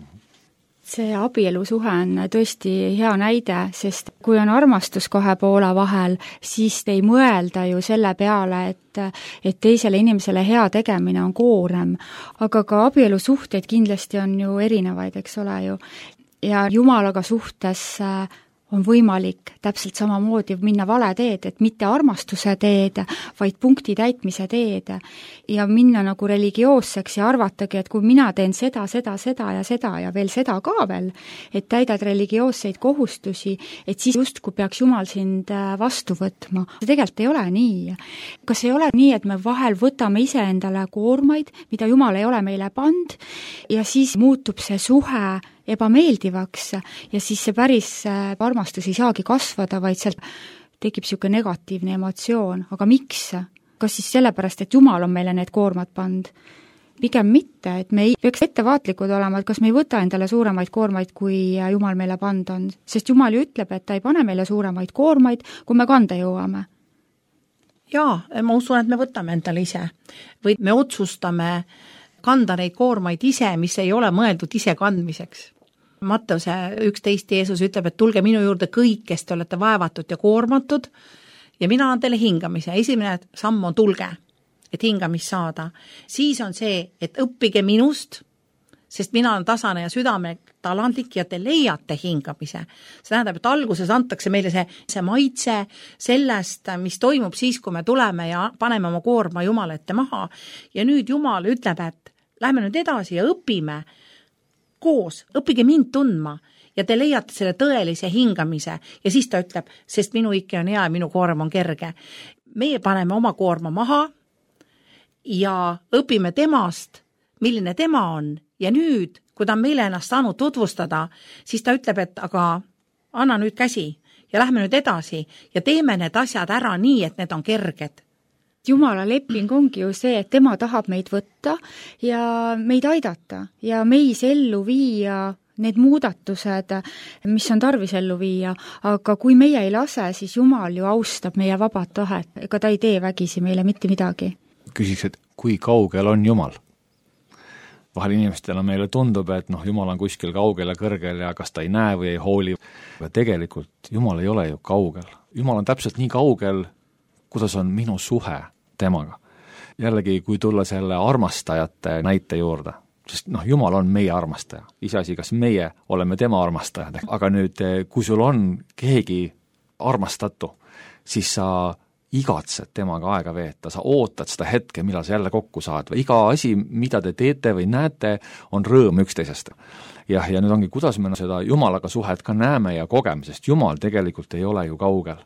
See abielusuhe on tõesti hea näide, sest kui on armastus kahe poole vahel, siis ei mõelda ju selle peale, et teisele inimesele hea tegemine on koorem. Aga ka abielusuhteid kindlasti on ju erinevaid, eks ole ju. Ja Jumalaga suhtes on võimalik täpselt samamoodi minna vale teed, et mitte armastuse teed, vaid punkti täitmise teed ja minna nagu religioosseks ja arvatagi, et kui mina teen seda ja veel seda ka veel, et täidad religioosseid kohustusi, et siis justkui peaks Jumal sind vastu võtma. See tegelikult ei ole nii. Kas ei ole nii, et me vahel võtame ise endale koormaid, mida Jumal ei ole meile pand ja siis muutub see suhe ebameeldivaks ja siis see päris armastus ei saagi kasvada, vaid sealt tekib niisugune negatiivne emotsioon. Aga miks? Kas siis sellepärast, et Jumal on meile need koormad pand? Pigem mitte, et me ei peaks ettevaatlikud olema, et kas me ei võta endale suuremaid koormaid, kui Jumal meile pand on. Sest Jumal ju ütleb, et ta ei pane meile suuremaid koormaid, kui me kanda jõuame. Jaa, ma usun, et me võtame endale ise. Või me otsustame kanda neid koormaid ise, mis ei ole mõeldud ise kandmiseks. Matteuse 11 Jeesus ütleb, et tulge minu juurde kõik, kes te olete vaevatud ja koormatud ja mina annan teile hingamise. Esimene samm on tulge, et hingamist saada. Siis on see, et õppige minust, sest mina olen tasane ja südame talandlik ja te leiate hingamise. See tähendab, et alguses antakse meile see maitse sellest, mis toimub siis, kui me tuleme ja paneme oma koorma Jumala ette maha. Ja nüüd Jumal ütleb, et lähme nüüd edasi ja õpime koos, õppige mind tundma ja te leiate selle tõelise hingamise ja siis ta ütleb, sest minu ikke on hea ja minu koorm on kerge. Meie paneme oma koorma maha ja õpime temast, milline tema on ja nüüd, kui ta on meile ennast saanud tutvustada, siis ta ütleb, et aga anna nüüd käsi ja lähme nüüd edasi ja teeme need asjad ära nii, et need on kerged. Jumala leping ongi ju see, et tema tahab meid võtta ja meid aidata ja meis ellu viia need muudatused, mis on tarvis ellu viia, aga kui meie ei lase, siis Jumal ju austab meie vabad tahet, ega ta ei tee vägisi meile mitte midagi. Küsiks, et kui kaugel on Jumal? vahel inimestele meile tundub, et Jumal on kuskil kaugel ja kõrgel ja kas ta ei näe või ei hooli. Aga tegelikult Jumal ei ole ju kaugel. Jumal on täpselt nii kaugel, kuidas on minu suhe temaga. Jällegi, kui tulla selle armastajate näite juurde, sest Jumal on meie armastaja. Iseasi, kas meie oleme tema armastajad. Aga nüüd, kui sul on keegi armastatu, siis sa igatsed temaga aega veeta, sa ootad seda hetke, millal sa jälle kokku saad. Iga asi, mida te teete või näete, on rõõm üksteisest. Ja nüüd ongi, kuidas me seda Jumalaga suhet ka näeme ja kogeme, sest Jumal tegelikult ei ole ju kaugel.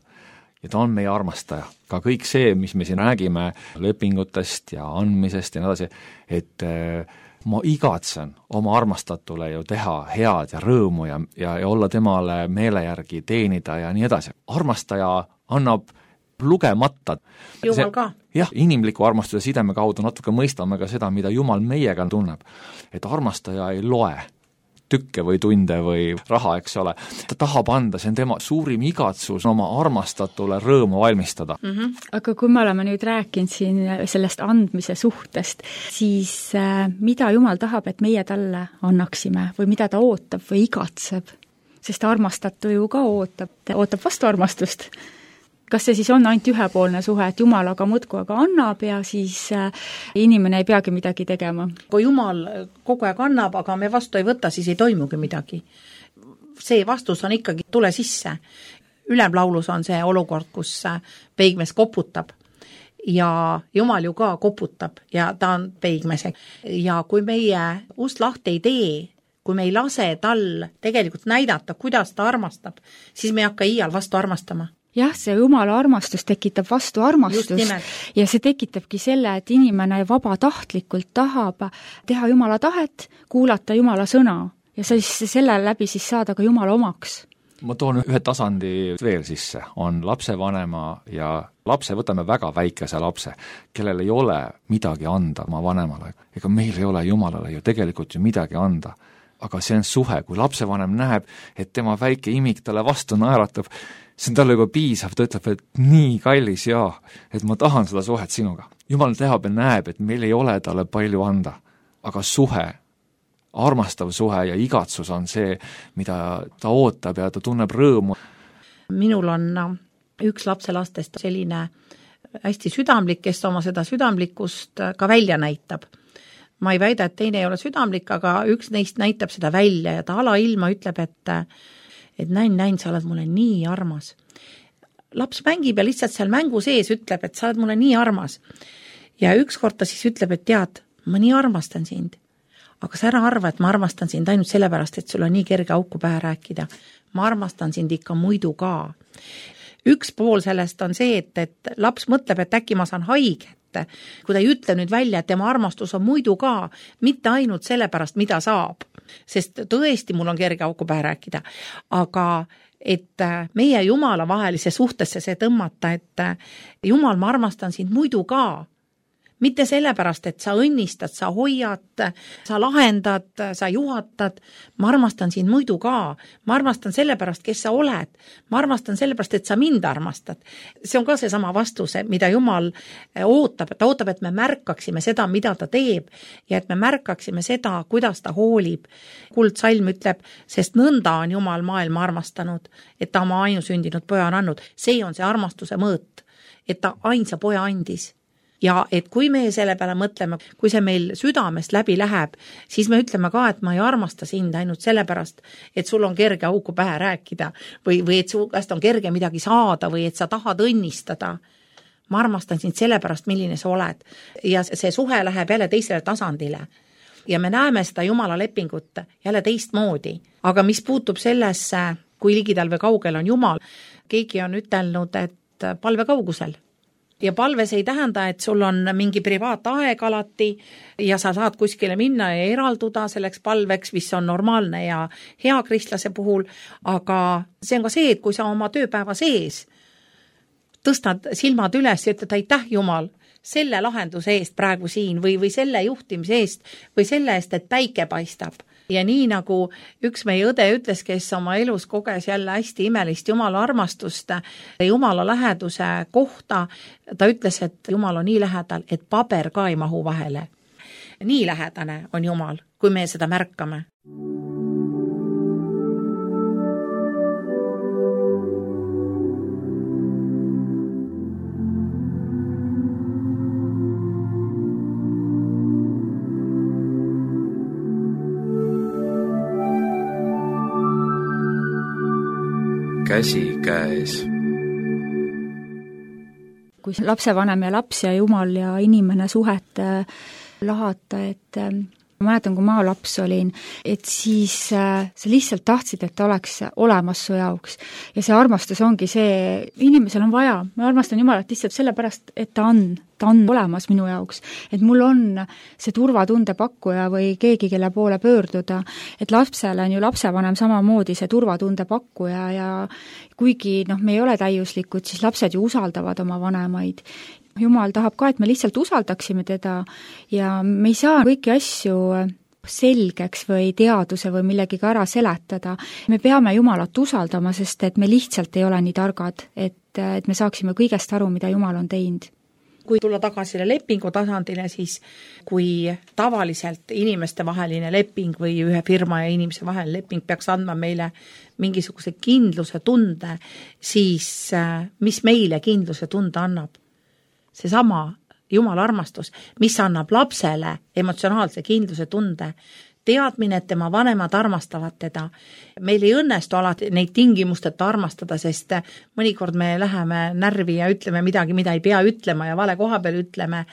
Ja ta on meie armastaja. Ka kõik see, mis me siin räägime lepingutest ja andmisest ja nii edasi, et ma igatsen oma armastatule ju teha head ja rõõmu ja olla temale meele järgi teenida ja nii edasi. Armastaja annab lugemata. Jumal ka. Jah, inimliku armastuse sideme kaudu natuke mõistame ka seda, mida Jumal meiega tunneb. Et armastaja ei loe tükke või tunde või raha, eks ole. Ta tahab anda, see on tema suurim igatsus oma armastatule rõõmu valmistada. Aga kui me oleme nüüd rääkinud siin sellest andmise suhtest, siis mida Jumal tahab, et meie talle annaksime või mida ta ootab või igatseb? Sest armastatu ju ka ootab vastu armastust. Kas see siis on ainult ühepoolne suhe, et Jumal aga muudkui aga annab ja siis inimene ei peagi midagi tegema? Kui Jumal kogu aeg annab, aga me vastu ei võta, siis ei toimugi midagi. See vastus on ikkagi tule sisse. Ülemlaulus on see olukord, kus peigmees koputab ja Jumal ju ka koputab ja ta on peigmees. Ja kui meie ust lahti ei tee, kui me ei lase tal tegelikult näidata, kuidas ta armastab, siis me ei hakka iial vastu armastama. Jah, see Jumala armastus tekitab vastu armastust ja see tekitabki selle, et inimene vabatahtlikult tahab teha Jumala tahet, kuulata Jumala sõna ja siis selle läbi siis saada ka Jumala omaks. Ma toon ühe tasandi veel sisse, on lapsevanema ja lapse, võtame väga väikese lapse, kellel ei ole midagi anda oma vanemale. Ega meil ei ole Jumalale ju tegelikult ju midagi anda. Aga see on suhe, kui lapsevanem näeb, et tema väike imik talle vastu naeratab, see on talle juba piisav, ta ütleb, et nii kallis et ma tahan seda suhet sinuga. Jumal teab ja näeb, et meil ei ole talle palju anda, aga suhe, armastav suhe ja igatsus on see, mida ta ootab ja ta tunneb rõõmu. Minul on üks lapselastest selline hästi südamlik, kes oma seda südamlikkust ka välja näitab. Ma ei väida, et teine ei ole südamlik, aga üks neist näitab seda välja ja ta alailma ütleb, et näin, sa oled mulle nii armas. Laps mängib ja lihtsalt seal mängu sees ütleb, et sa oled mulle nii armas. Ja ükskord ta siis ütleb, et tead, ma nii armastan sind. Aga sa ära arva, et ma armastan sind ainult sellepärast, et sul on nii kerge auku pähe rääkida. Ma armastan sind ikka muidu ka. Üks pool sellest on see, et laps mõtleb, et äkki ma saan haiget. Kui ta ei ütle nüüd välja, et tema armastus on muidu ka, mitte ainult sellepärast, mida saab. Sest tõesti mul on kerge auku pähe rääkida. Aga et meie Jumala vahelise suhtesse see tõmmata, et Jumal, ma armastan sind muidu ka. Mitte sellepärast, et sa õnnistad, sa hoiad, sa lahendad, sa juhatad. Ma armastan sind muidu ka. Ma armastan sellepärast, kes sa oled. Ma armastan sellepärast, et sa mind armastad. See on ka see sama vastuse, mida Jumal ootab. Ta ootab, et me märkaksime seda, mida ta teeb ja et me märkaksime seda, kuidas ta hoolib. Kuldsalm ütleb, sest nõnda on Jumal maailma armastanud, et ta oma ainusündinud poja on andnud. See on see armastuse mõõt, et ta ainsa poja andis. Ja et kui me selle peale mõtleme, kui see meil südamest läbi läheb, siis me ütleme ka, et ma ei armasta sind ainult sellepärast, et sul on kerge auku pähe rääkida või et su käest on kerge midagi saada või et sa tahad õnnistada. Ma armastan sind sellepärast, milline sa oled. Ja see suhe läheb jälle teisele tasandile. Ja me näeme seda Jumala lepingut jälle teistmoodi. Aga mis puutub sellesse, kui ligidal või kaugel on Jumal, keegi on ütelnud, et palve kaugusel. Ja palves ei tähenda, et sul on mingi privaataeg alati ja sa saad kuskile minna ja eralduda selleks palveks, mis on normaalne ja hea kristlase puhul, aga see on ka see, et kui sa oma tööpäeva sees tõstad silmad üles ja ütled aitäh Jumal selle lahenduse eest praegu siin või selle juhtimise eest või selle eest, et päike paistab. Ja nii nagu üks meie õde ütles, kes oma elus koges jälle hästi imelist Jumala armastust, Jumala läheduse kohta, ta ütles, et Jumal on nii lähedal, et paber ka ei mahu vahele. nii lähedane on Jumal, kui me seda märkame. Käsikäes. Kui lapsevanem ja laps ja Jumal ja inimene suhet lahata, et ma mäletan, kui ma laps olin, et siis sa lihtsalt tahtsid, et ta oleks olemas su jaoks. Ja see armastus ongi see, inimesel on vaja, ma armastan Jumalat lihtsalt sellepärast, et ta on olemas minu jaoks. Et mul on see turvatunde pakkuja või keegi, kelle poole pöörduda. Et lapsele on ju lapsevanem samamoodi see turvatunde pakkuja ja kuigi me ei ole täiuslikud, siis lapsed ju usaldavad oma vanemaid. Jumal tahab ka, et me lihtsalt usaldaksime teda ja me ei saa kõiki asju selgeks või teaduse või millegiga ära seletada. Me peame Jumalat usaldama, sest et me lihtsalt ei ole nii targad, et me saaksime kõigest aru, mida Jumal on teinud. Kui tulla tagasi lepingu tasandile, siis kui tavaliselt inimeste vaheline leping või ühe firma ja inimese vaheline leping peaks andma meile mingisuguse kindluse tunde, siis mis meile kindluse tunde annab? Seesama Jumala armastus, mis annab lapsele emotsionaalse kindluse tunde, teadmine, et tema vanemad armastavad teda. Meil ei õnnestu alati neid tingimusteta armastada, sest mõnikord me läheme närvi ja ütleme midagi, mida ei pea ütlema ja vale koha peal ütleme,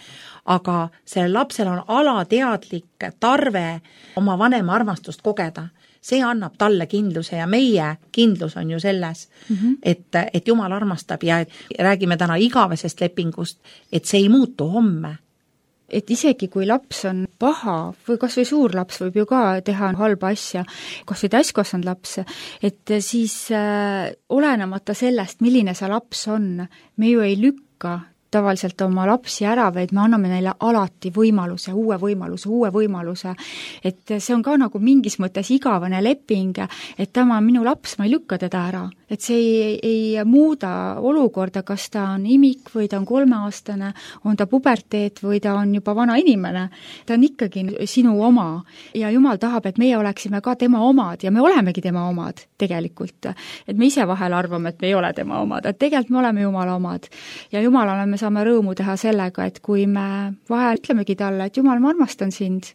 aga sellel lapsel on alateadlik tarve oma vanema armastust kogeda. See annab talle kindluse ja meie kindlus on ju selles, et Jumal armastab ja räägime täna igavesest lepingust, et see ei muutu homme. Et isegi kui laps on paha või kas või suur laps võib ju ka teha halba asja, kas või täiskasvanud laps, et siis olenemata sellest, milline see laps on, me ju ei lükka tavaliselt oma lapsi ära, vaid me anname neile alati võimaluse, uue võimaluse. Et see on ka nagu mingis mõttes igavene leping, et tema on minu laps, ma ei lükka teda ära. Et see ei muuda olukorda, kas ta on imik või ta on 3-aastane, on ta puberteet või ta on juba vana inimene. Ta on ikkagi sinu oma ja Jumal tahab, et meie oleksime ka tema omad ja me olemegi tema omad tegelikult. Et me ise vahel arvame, et me ei ole tema omad, et tegelikult me oleme Jumala omad ja Jumalale me saame rõõmu teha sellega, et kui me vahel ütlemegi talle, et Jumal, ma armastan sind.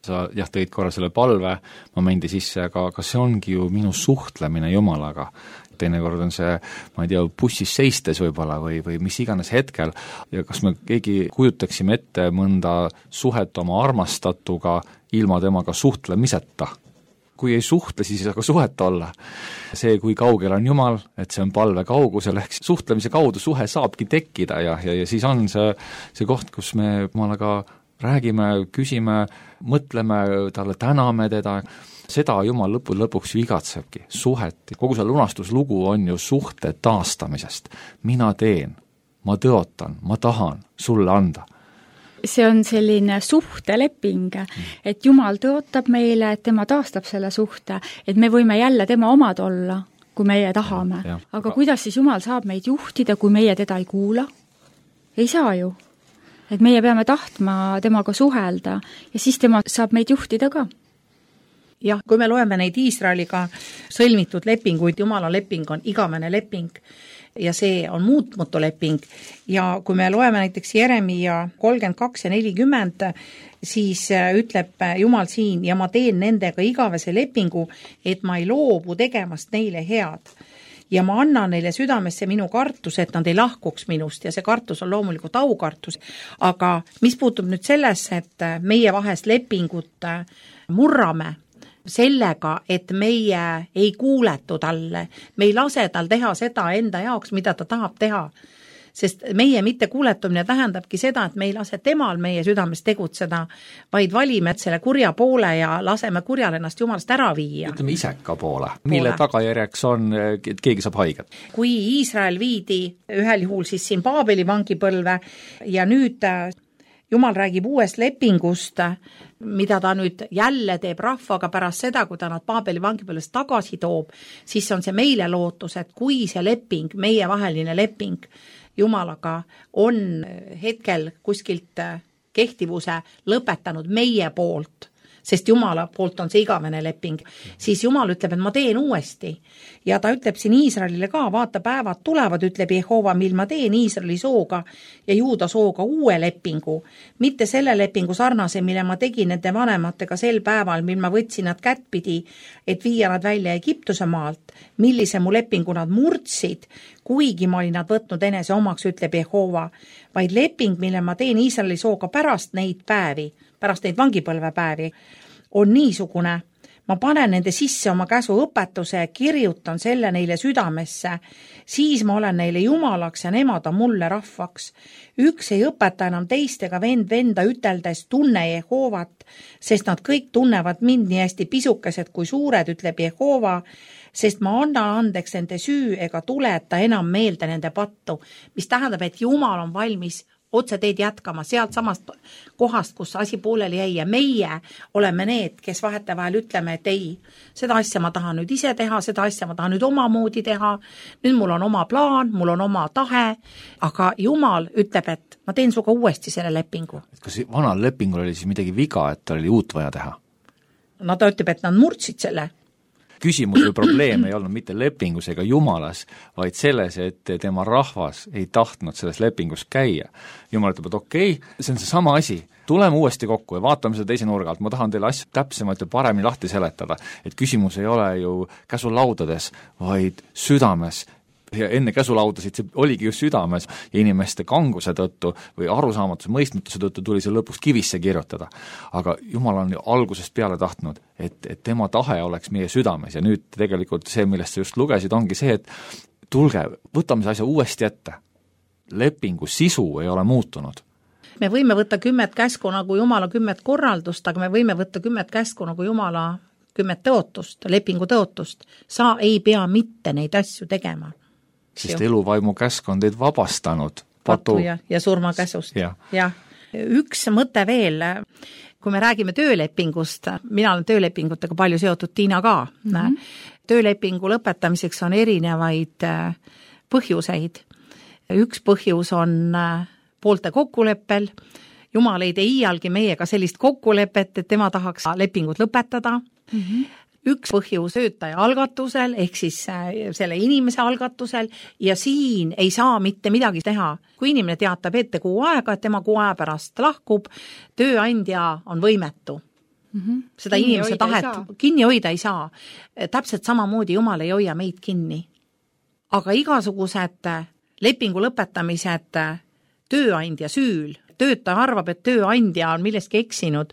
Sa tõid korra selle palve momendi sisse, aga see ongi ju minu suhtlemine Jumalaga. Teinekord on see, ma ei tea, bussis seistes võib-olla või mis iganes hetkel ja kas me keegi kujutaksime ette mõnda suhet oma armastatuga ilma temaga suhtlemiseta. Kui ei suhtle, siis ei saa ka suhet olla. See, kui kaugel on Jumal, et see on palve kaugusel, ehk suhtlemise kaudu suhe saabki tekkida ja siis on see koht, kus me Jumalaga räägime, küsime, mõtleme talle, täname teda. Seda Jumal lõpuks ju igatsebki, suhet. Kogu see lunastuslugu on ju suhte taastamisest. Mina teen, ma tõotan, ma tahan sulle anda. See on selline suhteleping, et Jumal tõotab meile, et tema taastab selle suhte, et me võime jälle tema omad olla, kui meie tahame. Aga kuidas siis Jumal saab meid juhtida, kui meie teda ei kuula? Ei saa ju. Et meie peame tahtma temaga suhelda ja siis tema saab meid juhtida ka. Jah, kui me loeme neid Iisraeliga sõlmitud lepinguid, Jumala leping on igavene leping ja see on muutmutu leping ja kui me loeme näiteks Jeremia 32 ja 40, siis ütleb Jumal siin ja ma teen nendega igavese lepingu, et ma ei loobu tegemast neile head. Ja ma annan neile südamesse minu kartus, et nad ei lahkuks minust ja see kartus on loomulikult aukartus. Aga mis puutub nüüd sellesse, et meie vahest lepingut murrame sellega, et meie ei kuuletu talle, me ei lase tal teha seda enda jaoks, mida ta tahab teha. Sest meie mitte kuuletumine tähendabki seda, et me ei lase temal meie südames tegutseda, vaid valime selle kurja poole ja laseme kurjal ennast Jumalast ära viia. Ütleme iseka poole, mille tagajärjeks on, et keegi saab haiget. Kui Iisrael viidi ühel juhul siis siin Paabeli vangipõlve ja nüüd Jumal räägib uuest lepingust, mida ta nüüd jälle teeb rahvaga pärast seda, kui ta nad Paabeli vangipõlvest tagasi toob, siis on see meile lootus, et kui see leping, meie vaheline leping Jumalaga on hetkel kuskilt kehtivuse lõpetanud meie poolt, sest Jumala poolt on see igavene leping, siis Jumal ütleb, et ma teen uuesti. Ja ta ütleb siin Iisraelile ka, vaata päevad tulevad, ütleb Jehova, mil ma teen Iisraeli sooga ja Juuda sooga uue lepingu. Mitte selle lepingu sarnase, mille ma tegin nende vanematega sel päeval, mil ma võtsin nad kättpidi, et viia nad välja Egiptuse maalt, millise mu lepingu nad murdsid, kuigi ma olin nad võtnud enese omaks, ütleb Jehova, vaid leping, mille ma teen Iisraeli sooga pärast neid päevi, pärast neid vangipõlvepäevi, on niisugune, ma panen nende sisse oma käsu õpetuse ja kirjutan selle neile südamesse, siis ma olen neile jumalaks ja nemad on mulle rahvaks. Üks ei õpeta enam teist ega venda üteldes tunne Jehovat, sest nad kõik tunnevad mind nii hästi pisukesed kui suured, ütleb Jehova, sest ma annan andeks nende süü ega tuleta enam meelde nende pattu, mis tähendab, et Jumal on valmis otse teed jätkama sealt samast kohast, kus asi pooleli jäi ja meie oleme need, kes vahetevahel ütleme, et ei, seda asja ma tahan nüüd ise teha, seda asja ma tahan nüüd omamoodi teha, nüüd mul on oma plaan, mul on oma tahe, aga Jumal ütleb, et ma teen suga uuesti selle lepingu. Kas vanal lepingul oli siis midagi viga, et oli uut vaja teha? No ta ütleb, et nad murdsid selle. Küsimus või probleem ei olnud mitte lepingus ega Jumalas, vaid selles, et tema rahvas ei tahtnud selles lepingus käia. Jumal ütleb, et okei, see on see sama asi, tuleme uuesti kokku ja vaatame seda teise nurga alt, ma tahan teile asju täpsemalt ja paremini lahti seletada, et küsimus ei ole ju käsulaudades, vaid südames. Ja enne käsulaudasid see oligi just südames ja inimeste kanguse tõttu või arusaamatuse mõistmatuse tõttu tuli see lõpuks kivisse kirjutada. Aga Jumal on ju algusest peale tahtnud, et tema tahe oleks meie südames ja nüüd tegelikult see, millest sa just lugesid, ongi see, et tulge, võtame see asja uuesti ette. Lepingu sisu ei ole muutunud. Me võime võtta 10 käsku nagu Jumala 10 korraldust, aga me võime võtta 10 käsku nagu Jumala 10 tõotust, lepingu tõotust. Sa ei pea mitte neid asju tegema. Sest eluvaimu käsk on teid vabastanud patu ja surmakäsust. Ja. Üks mõte veel, kui me räägime töölepingust, mina olen töölepingutega palju seotud, Tiina ka. Töölepingu lõpetamiseks on erinevaid põhjuseid. Üks põhjus on poolte kokkuleppel. Jumal ei tee iialgi meiega sellist kokkulepet, et tema tahaks lepingut lõpetada. Üks põhjus töötaja algatusel, ehk siis selle inimese algatusel ja siin ei saa mitte midagi teha. Kui inimene teatab ette kuu aega, et tema kuu aja pärast lahkub, tööandja on võimetu. Seda inimese tahet kinni hoida ei saa. Täpselt samamoodi Jumal ei hoia meid kinni. Aga igasugused lepingu lõpetamised tööandja süül, töötaja arvab, et tööandja on millestki eksinud,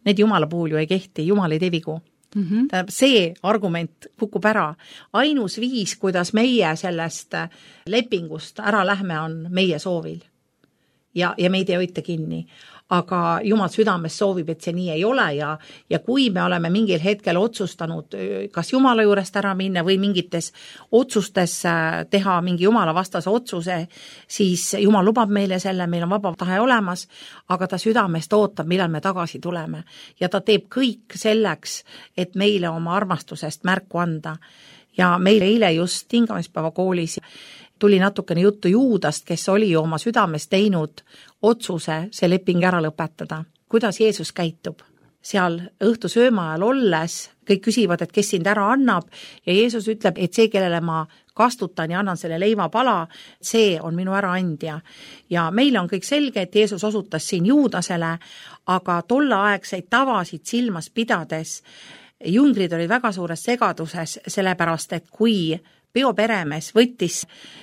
need Jumala puhul ju ei kehti, Jumal ei tee vigu. See argument kukub ära. Ainus viis, kuidas meie sellest lepingust ära lähme, on meie soovil. Ja meid ei hoita kinni. Aga Jumal südames soovib, et see nii ei ole ja kui me oleme mingil hetkel otsustanud kas Jumala juurest ära minna või mingites otsustes teha mingi Jumala vastase otsuse, siis Jumal lubab meile selle, meil on vaba tahe olemas, aga ta südamest ootab, millal me tagasi tuleme. Ja ta teeb kõik selleks, et meile oma armastusest märku anda. Ja meil eile just hingamispäeva koolis tuli natukene juttu Juudast, kes oli ju oma südames teinud otsuse see leping ära lõpetada. Kuidas Jeesus käitub? Seal õhtusööma ajal olles kõik küsivad, et kes sind ära annab ja Jeesus ütleb, et see, kellele ma kastutan ja annan selle leivapala, see on minu äraandja. Ja meile on kõik selge, et Jeesus osutas siin Juudasele, aga tolleaegseid tavasid silmas pidades jüngrid olid väga suures segaduses, sellepärast, et kui peoperemees võttis,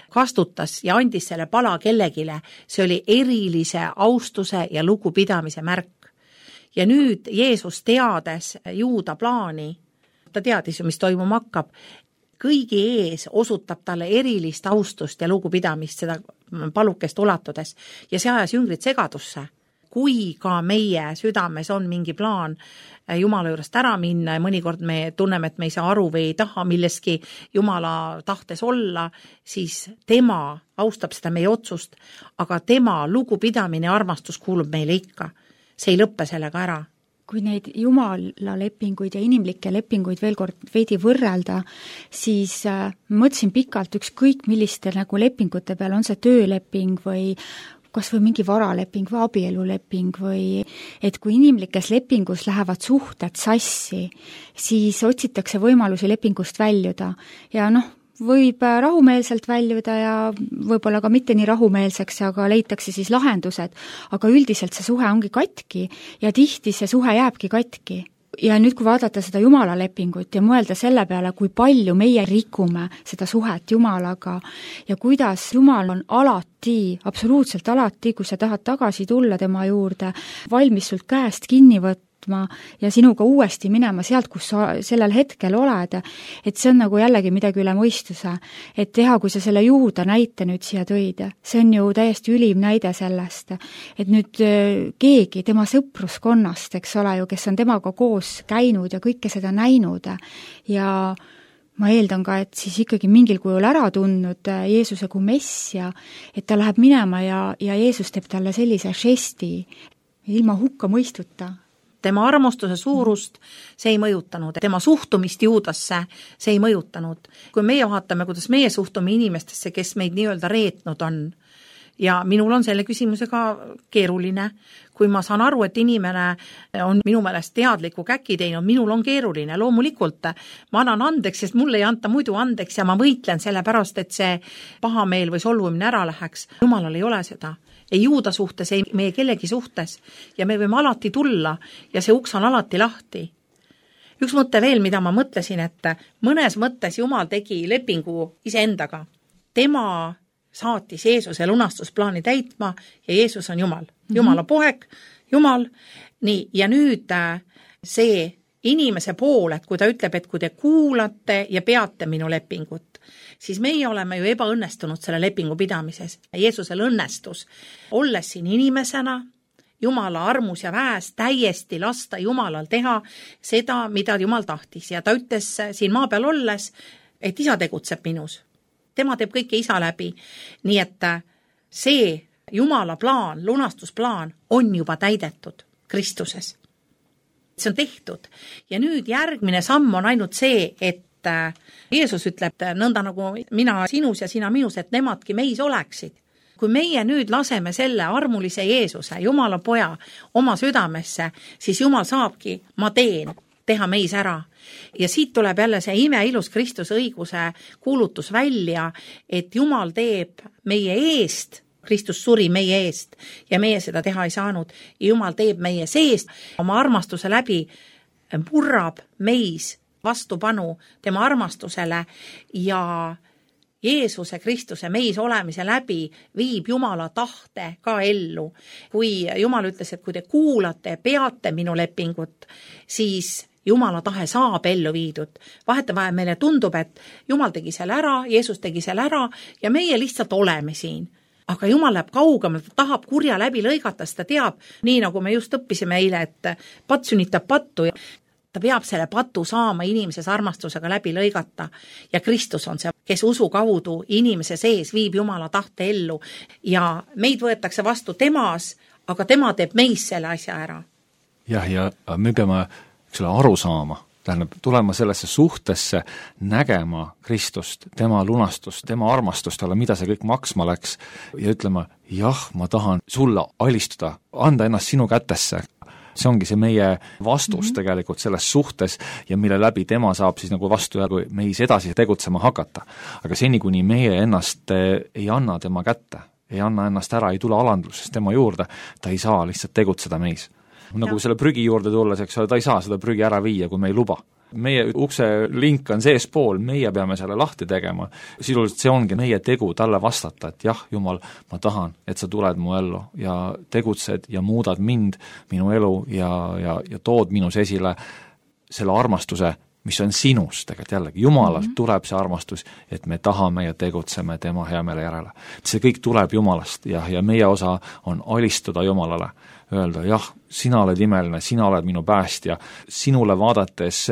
kastutas ja andis selle pala kellegile, see oli erilise austuse ja lugupidamise märk. Ja nüüd Jeesus teades Juuda plaani, ta teadis ju, mis toimuma hakkab, kõigi ees osutab talle erilist austust ja lugupidamist seda palukest ulatudes ja see ajas jüngrid segadusse. Kui ka meie südames on mingi plaan Jumala juurest ära minna ja mõnikord me tunneme, et me ei saa aru või ei taha milleski Jumala tahtes olla, siis tema austab seda meie otsust, aga tema lugupidamine ja armastus kuulub meile ikka. See ei lõppe sellega ära. Kui neid Jumala lepinguid ja inimlikke lepinguid veel kord veidi võrrelda, siis mõtlesin pikalt ükskõik milliste nagu lepingute peal, on see tööleping või kas või mingi varaleping või abieluleping või et kui inimlikes lepingus lähevad suhted sassi, siis otsitakse võimalusi lepingust väljuda ja võib rahumeelselt väljuda ja võib-olla ka mitte nii rahumeelseks, aga leitakse siis lahendused, aga üldiselt see suhe ongi katki ja tihti see suhe jääbki katki. Ja nüüd, kui vaadata seda Jumala lepingut ja mõelda selle peale, kui palju meie rikume seda suhet Jumalaga ja kuidas Jumal on alati, absoluutselt alati, kui sa tahad tagasi tulla tema juurde, valmis sult käest kinni võtma ja sinuga uuesti minema sealt, kus sa sellel hetkel oled, et see on nagu jällegi midagi üle mõistuse. Et teha, kui sa selle Juuda näite nüüd siia tõid, see on ju täiesti ülim näide sellest, et nüüd keegi tema sõpruskonnast, eks ole ju, kes on temaga koos käinud ja kõike seda näinud ja ma eeldan ka, et siis ikkagi mingil kujul ära tundnud Jeesuse kui messia, et ta läheb minema ja Jeesus teeb talle sellise žesti ilma hukka mõistuta. Tema armastuse suurust see ei mõjutanud, tema suhtumist Juudasse see ei mõjutanud. Kui meie vaatame, kuidas meie suhtume inimestesse, kes meid nii-öelda reetnud on, ja minul on selle küsimusega keeruline, kui ma saan aru, et inimene on minu meelest teadliku käki teinud, minul on keeruline, loomulikult ma annan andeks, sest mulle ei anta muidu andeks ja ma võitlen selle pärast, et see pahameel või solvumine ära läheks. Jumalal ei ole seda. Ei Juuda suhtes, ei meie kellegi suhtes ja me võime alati tulla ja see uks on alati lahti. Üks mõte veel, mida ma mõtlesin, et mõnes mõttes Jumal tegi lepingu iseendaga. Tema saatis Jeesuse lunastusplaani täitma ja Jeesus on Jumal. Jumala poeg, Jumal. Nii, ja nüüd see inimese pool, et kui ta ütleb, et kui te kuulate ja peate minu lepingut, siis meie oleme ju ebaõnnestunud selle lepingu pidamises. Jeesusel õnnestus, olles siin inimesena, Jumala armus ja väes täiesti lasta Jumalal teha seda, mida Jumal tahtis. Ja ta ütles siin maa peal olles, et isa tegutseb minus. Tema teeb kõike isa läbi. Nii et see Jumala plaan, lunastusplaan on juba täidetud Kristuses. See on tehtud. Ja nüüd järgmine samm on ainult see, et Jeesus ütleb nõnda nagu mina sinus ja sina minus, et nemadki meis oleksid. Kui meie nüüd laseme selle armulise Jeesuse, Jumala poja, oma südamesse, siis Jumal saabki, ma teen, teha meis ära. Ja siit tuleb jälle see imeilus Kristuse õiguse kuulutus välja, et Jumal teeb meie eest, Kristus suri meie eest ja meie seda teha ei saanud. Ja Jumal teeb meie seest, oma armastuse läbi murrab meis vastupanu tema armastusele ja Jeesuse Kristuse meis olemise läbi viib Jumala tahte ka ellu. Kui Jumal ütles, et kui te kuulate, peate minu lepingut, siis Jumala tahe saab ellu viidud. Vahetevahel meile tundub, et Jumal tegi selle ära, Jeesus tegi selle ära ja meie lihtsalt oleme siin. Aga Jumal läheb kaugemalt, ta tahab kurja läbi lõigata, sest ta teab, nii nagu me just õppisime eile, et patt sünnitab pattu ja ta peab selle patu saama inimeses armastusega läbi lõigata ja Kristus on see, kes usu kaudu inimese sees viib Jumala tahte ellu ja meid võetakse vastu temas, aga tema teeb meis selle asja ära. Jah, ja me peame aru saama, tähendab, tulema sellesse suhtesse, nägema Kristust, tema lunastust, tema armastust talle, mida see kõik maksma läks ja ütlema, jah, ma tahan sulle alistuda, anda ennast sinu kätesse. See ongi see meie vastus tegelikult selles suhtes ja mille läbi tema saab siis nagu vastu ja kui meis edasi tegutsema hakata. Aga seni, kuni meie ennast ei anna tema kätte, ei anna ennast ära, ei tule alandlusest tema juurde, ta ei saa lihtsalt tegutseda meis. Nagu selle prügi juurde tulles, eks ole, ta ei saa seda prügi ära viia, kui me ei luba. Meie ukse link on sees pool, meie peame selle lahti tegema. Sisuliselt see ongi meie tegu talle vastata, et jah, Jumal, ma tahan, et sa tuled mu ellu ja tegutsed ja muudad mind, minu elu ja tood minus esile selle armastuse, mis on sinus tegelikult jällegi. Jumalalt tuleb see armastus, et me tahame ja tegutseme tema hea meele järele. See kõik tuleb Jumalast ja meie osa on alistuda Jumalale. Öelda, jah, sina oled imeline, sina oled minu päästja, sinule vaadates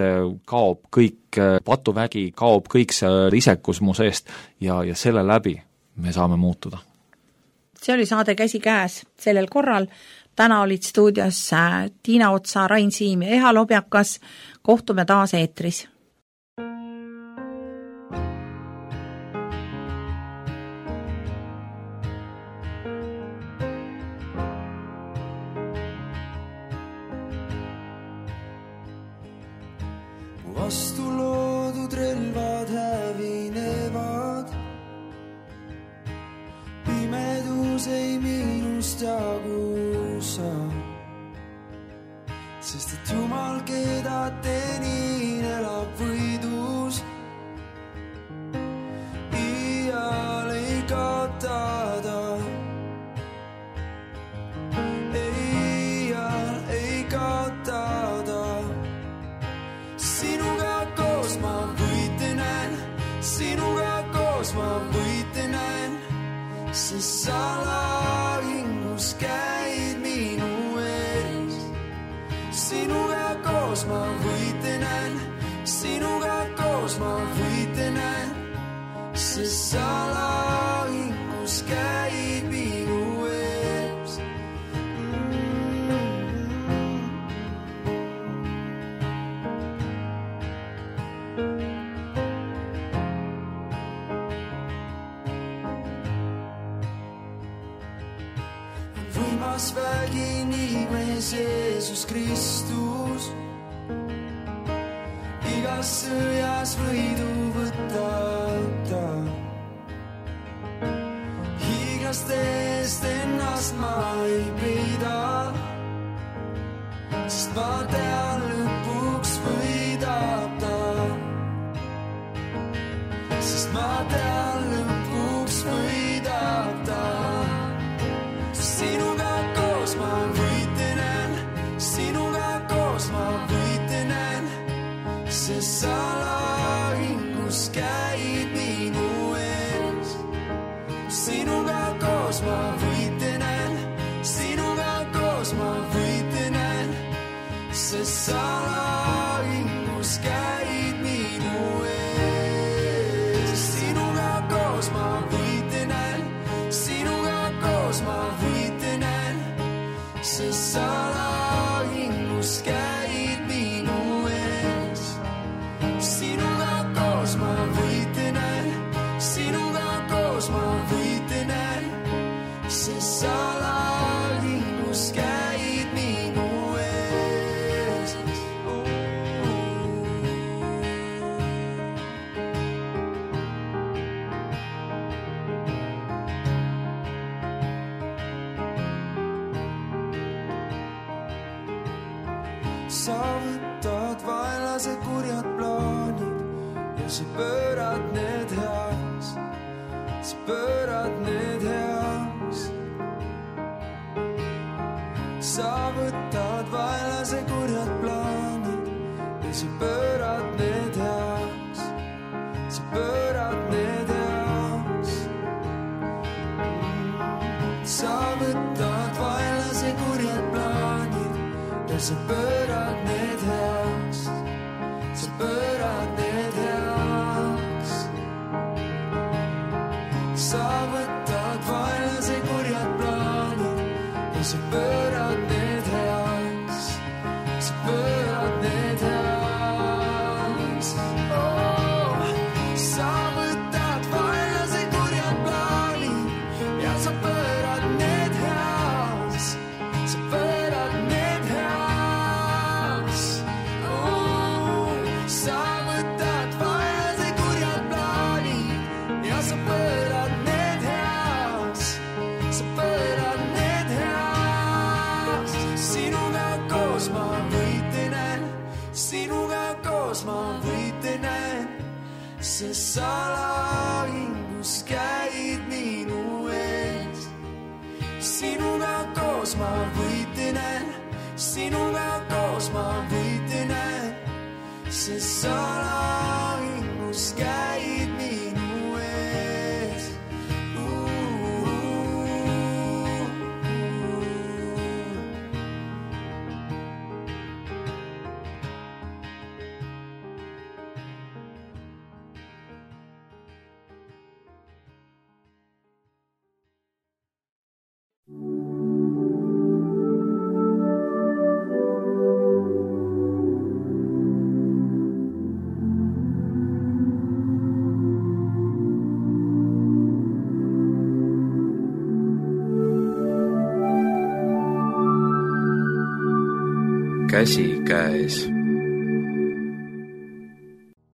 kaob kõik patuvägi, kaob kõik see isekus mu seest ja selle läbi me saame muutuda. See oli saade Käsi käes sellel korral. Täna olid stuudios Tiina Otsa, Rain Siim ja Eha Lobjakas. Kohtume taas eetris. vastu loodud relvad hävinevad. Pimedus ei minust jagu sa, sest et Jumal, keda tenin, elab võidus. Iial ei kaota ta, iial ei kaota ta. Sinuga koos ma võite näen, sinuga koos ma võite näen, sest sa lahingus käid minu ees. Sinuga koos ma võite näen, sinuga koos ma võite näen, sest sa lahingus käid minu ees. Võimas vägi nimes Jeesus Kristus, igas sõjas võidu võtab ta. Hiiglaste eest ennast ma ei peida, sest ma tean, lõpuks võidab ta. Sest ma tean, lõpuks võidab ta. Sinuga koos ma võite näen, sinuga koos ma võite näen, sest sa lahingus käid minu ees. Sinuga koos ma võite näen, sinuga koos ma võite näen, sest sa lahingus käid minu ees. Sinuga koos ma võite näen, sinuga koos ma võite näen, sest sa lahingus käid minu ees. Sinuga koos ma võite näen, sinuga koos ma võite näen, sest sa lahingus käid minu ees. Sa võtad vaenlase kurjad plaanid ja sa pöörad need heaks, sa pöörad need heaks. Sa võtad vaenlase kurjad plaanid ja sa pöörad need heaks, sa pöörad need heaks. Sa võtad vaenlase kurjad plaanid ja sa pöörad need heaks, sa pöörad need heaks. Sa võtad vaenlase kurjad plaanid ja sa pöörad need heaks, sa pöörad need heaks. Oh, sa võtad vaenlase kurjad plaanid ja sa pöörad need heaks, sa pöörad need heaks. Oh, sa võtad vaenlase kurjad plaanid ja sa pöörad need heaks, sa pöörad need heaks. Sinuga koos ma võite näen, sinuga koos ma võite näen, sest sa lahingus käid minu ees. Sinuga koos ma võite näen, sinuga koos ma võite näen, sest sa lahingus käid minu ees. käsikäes.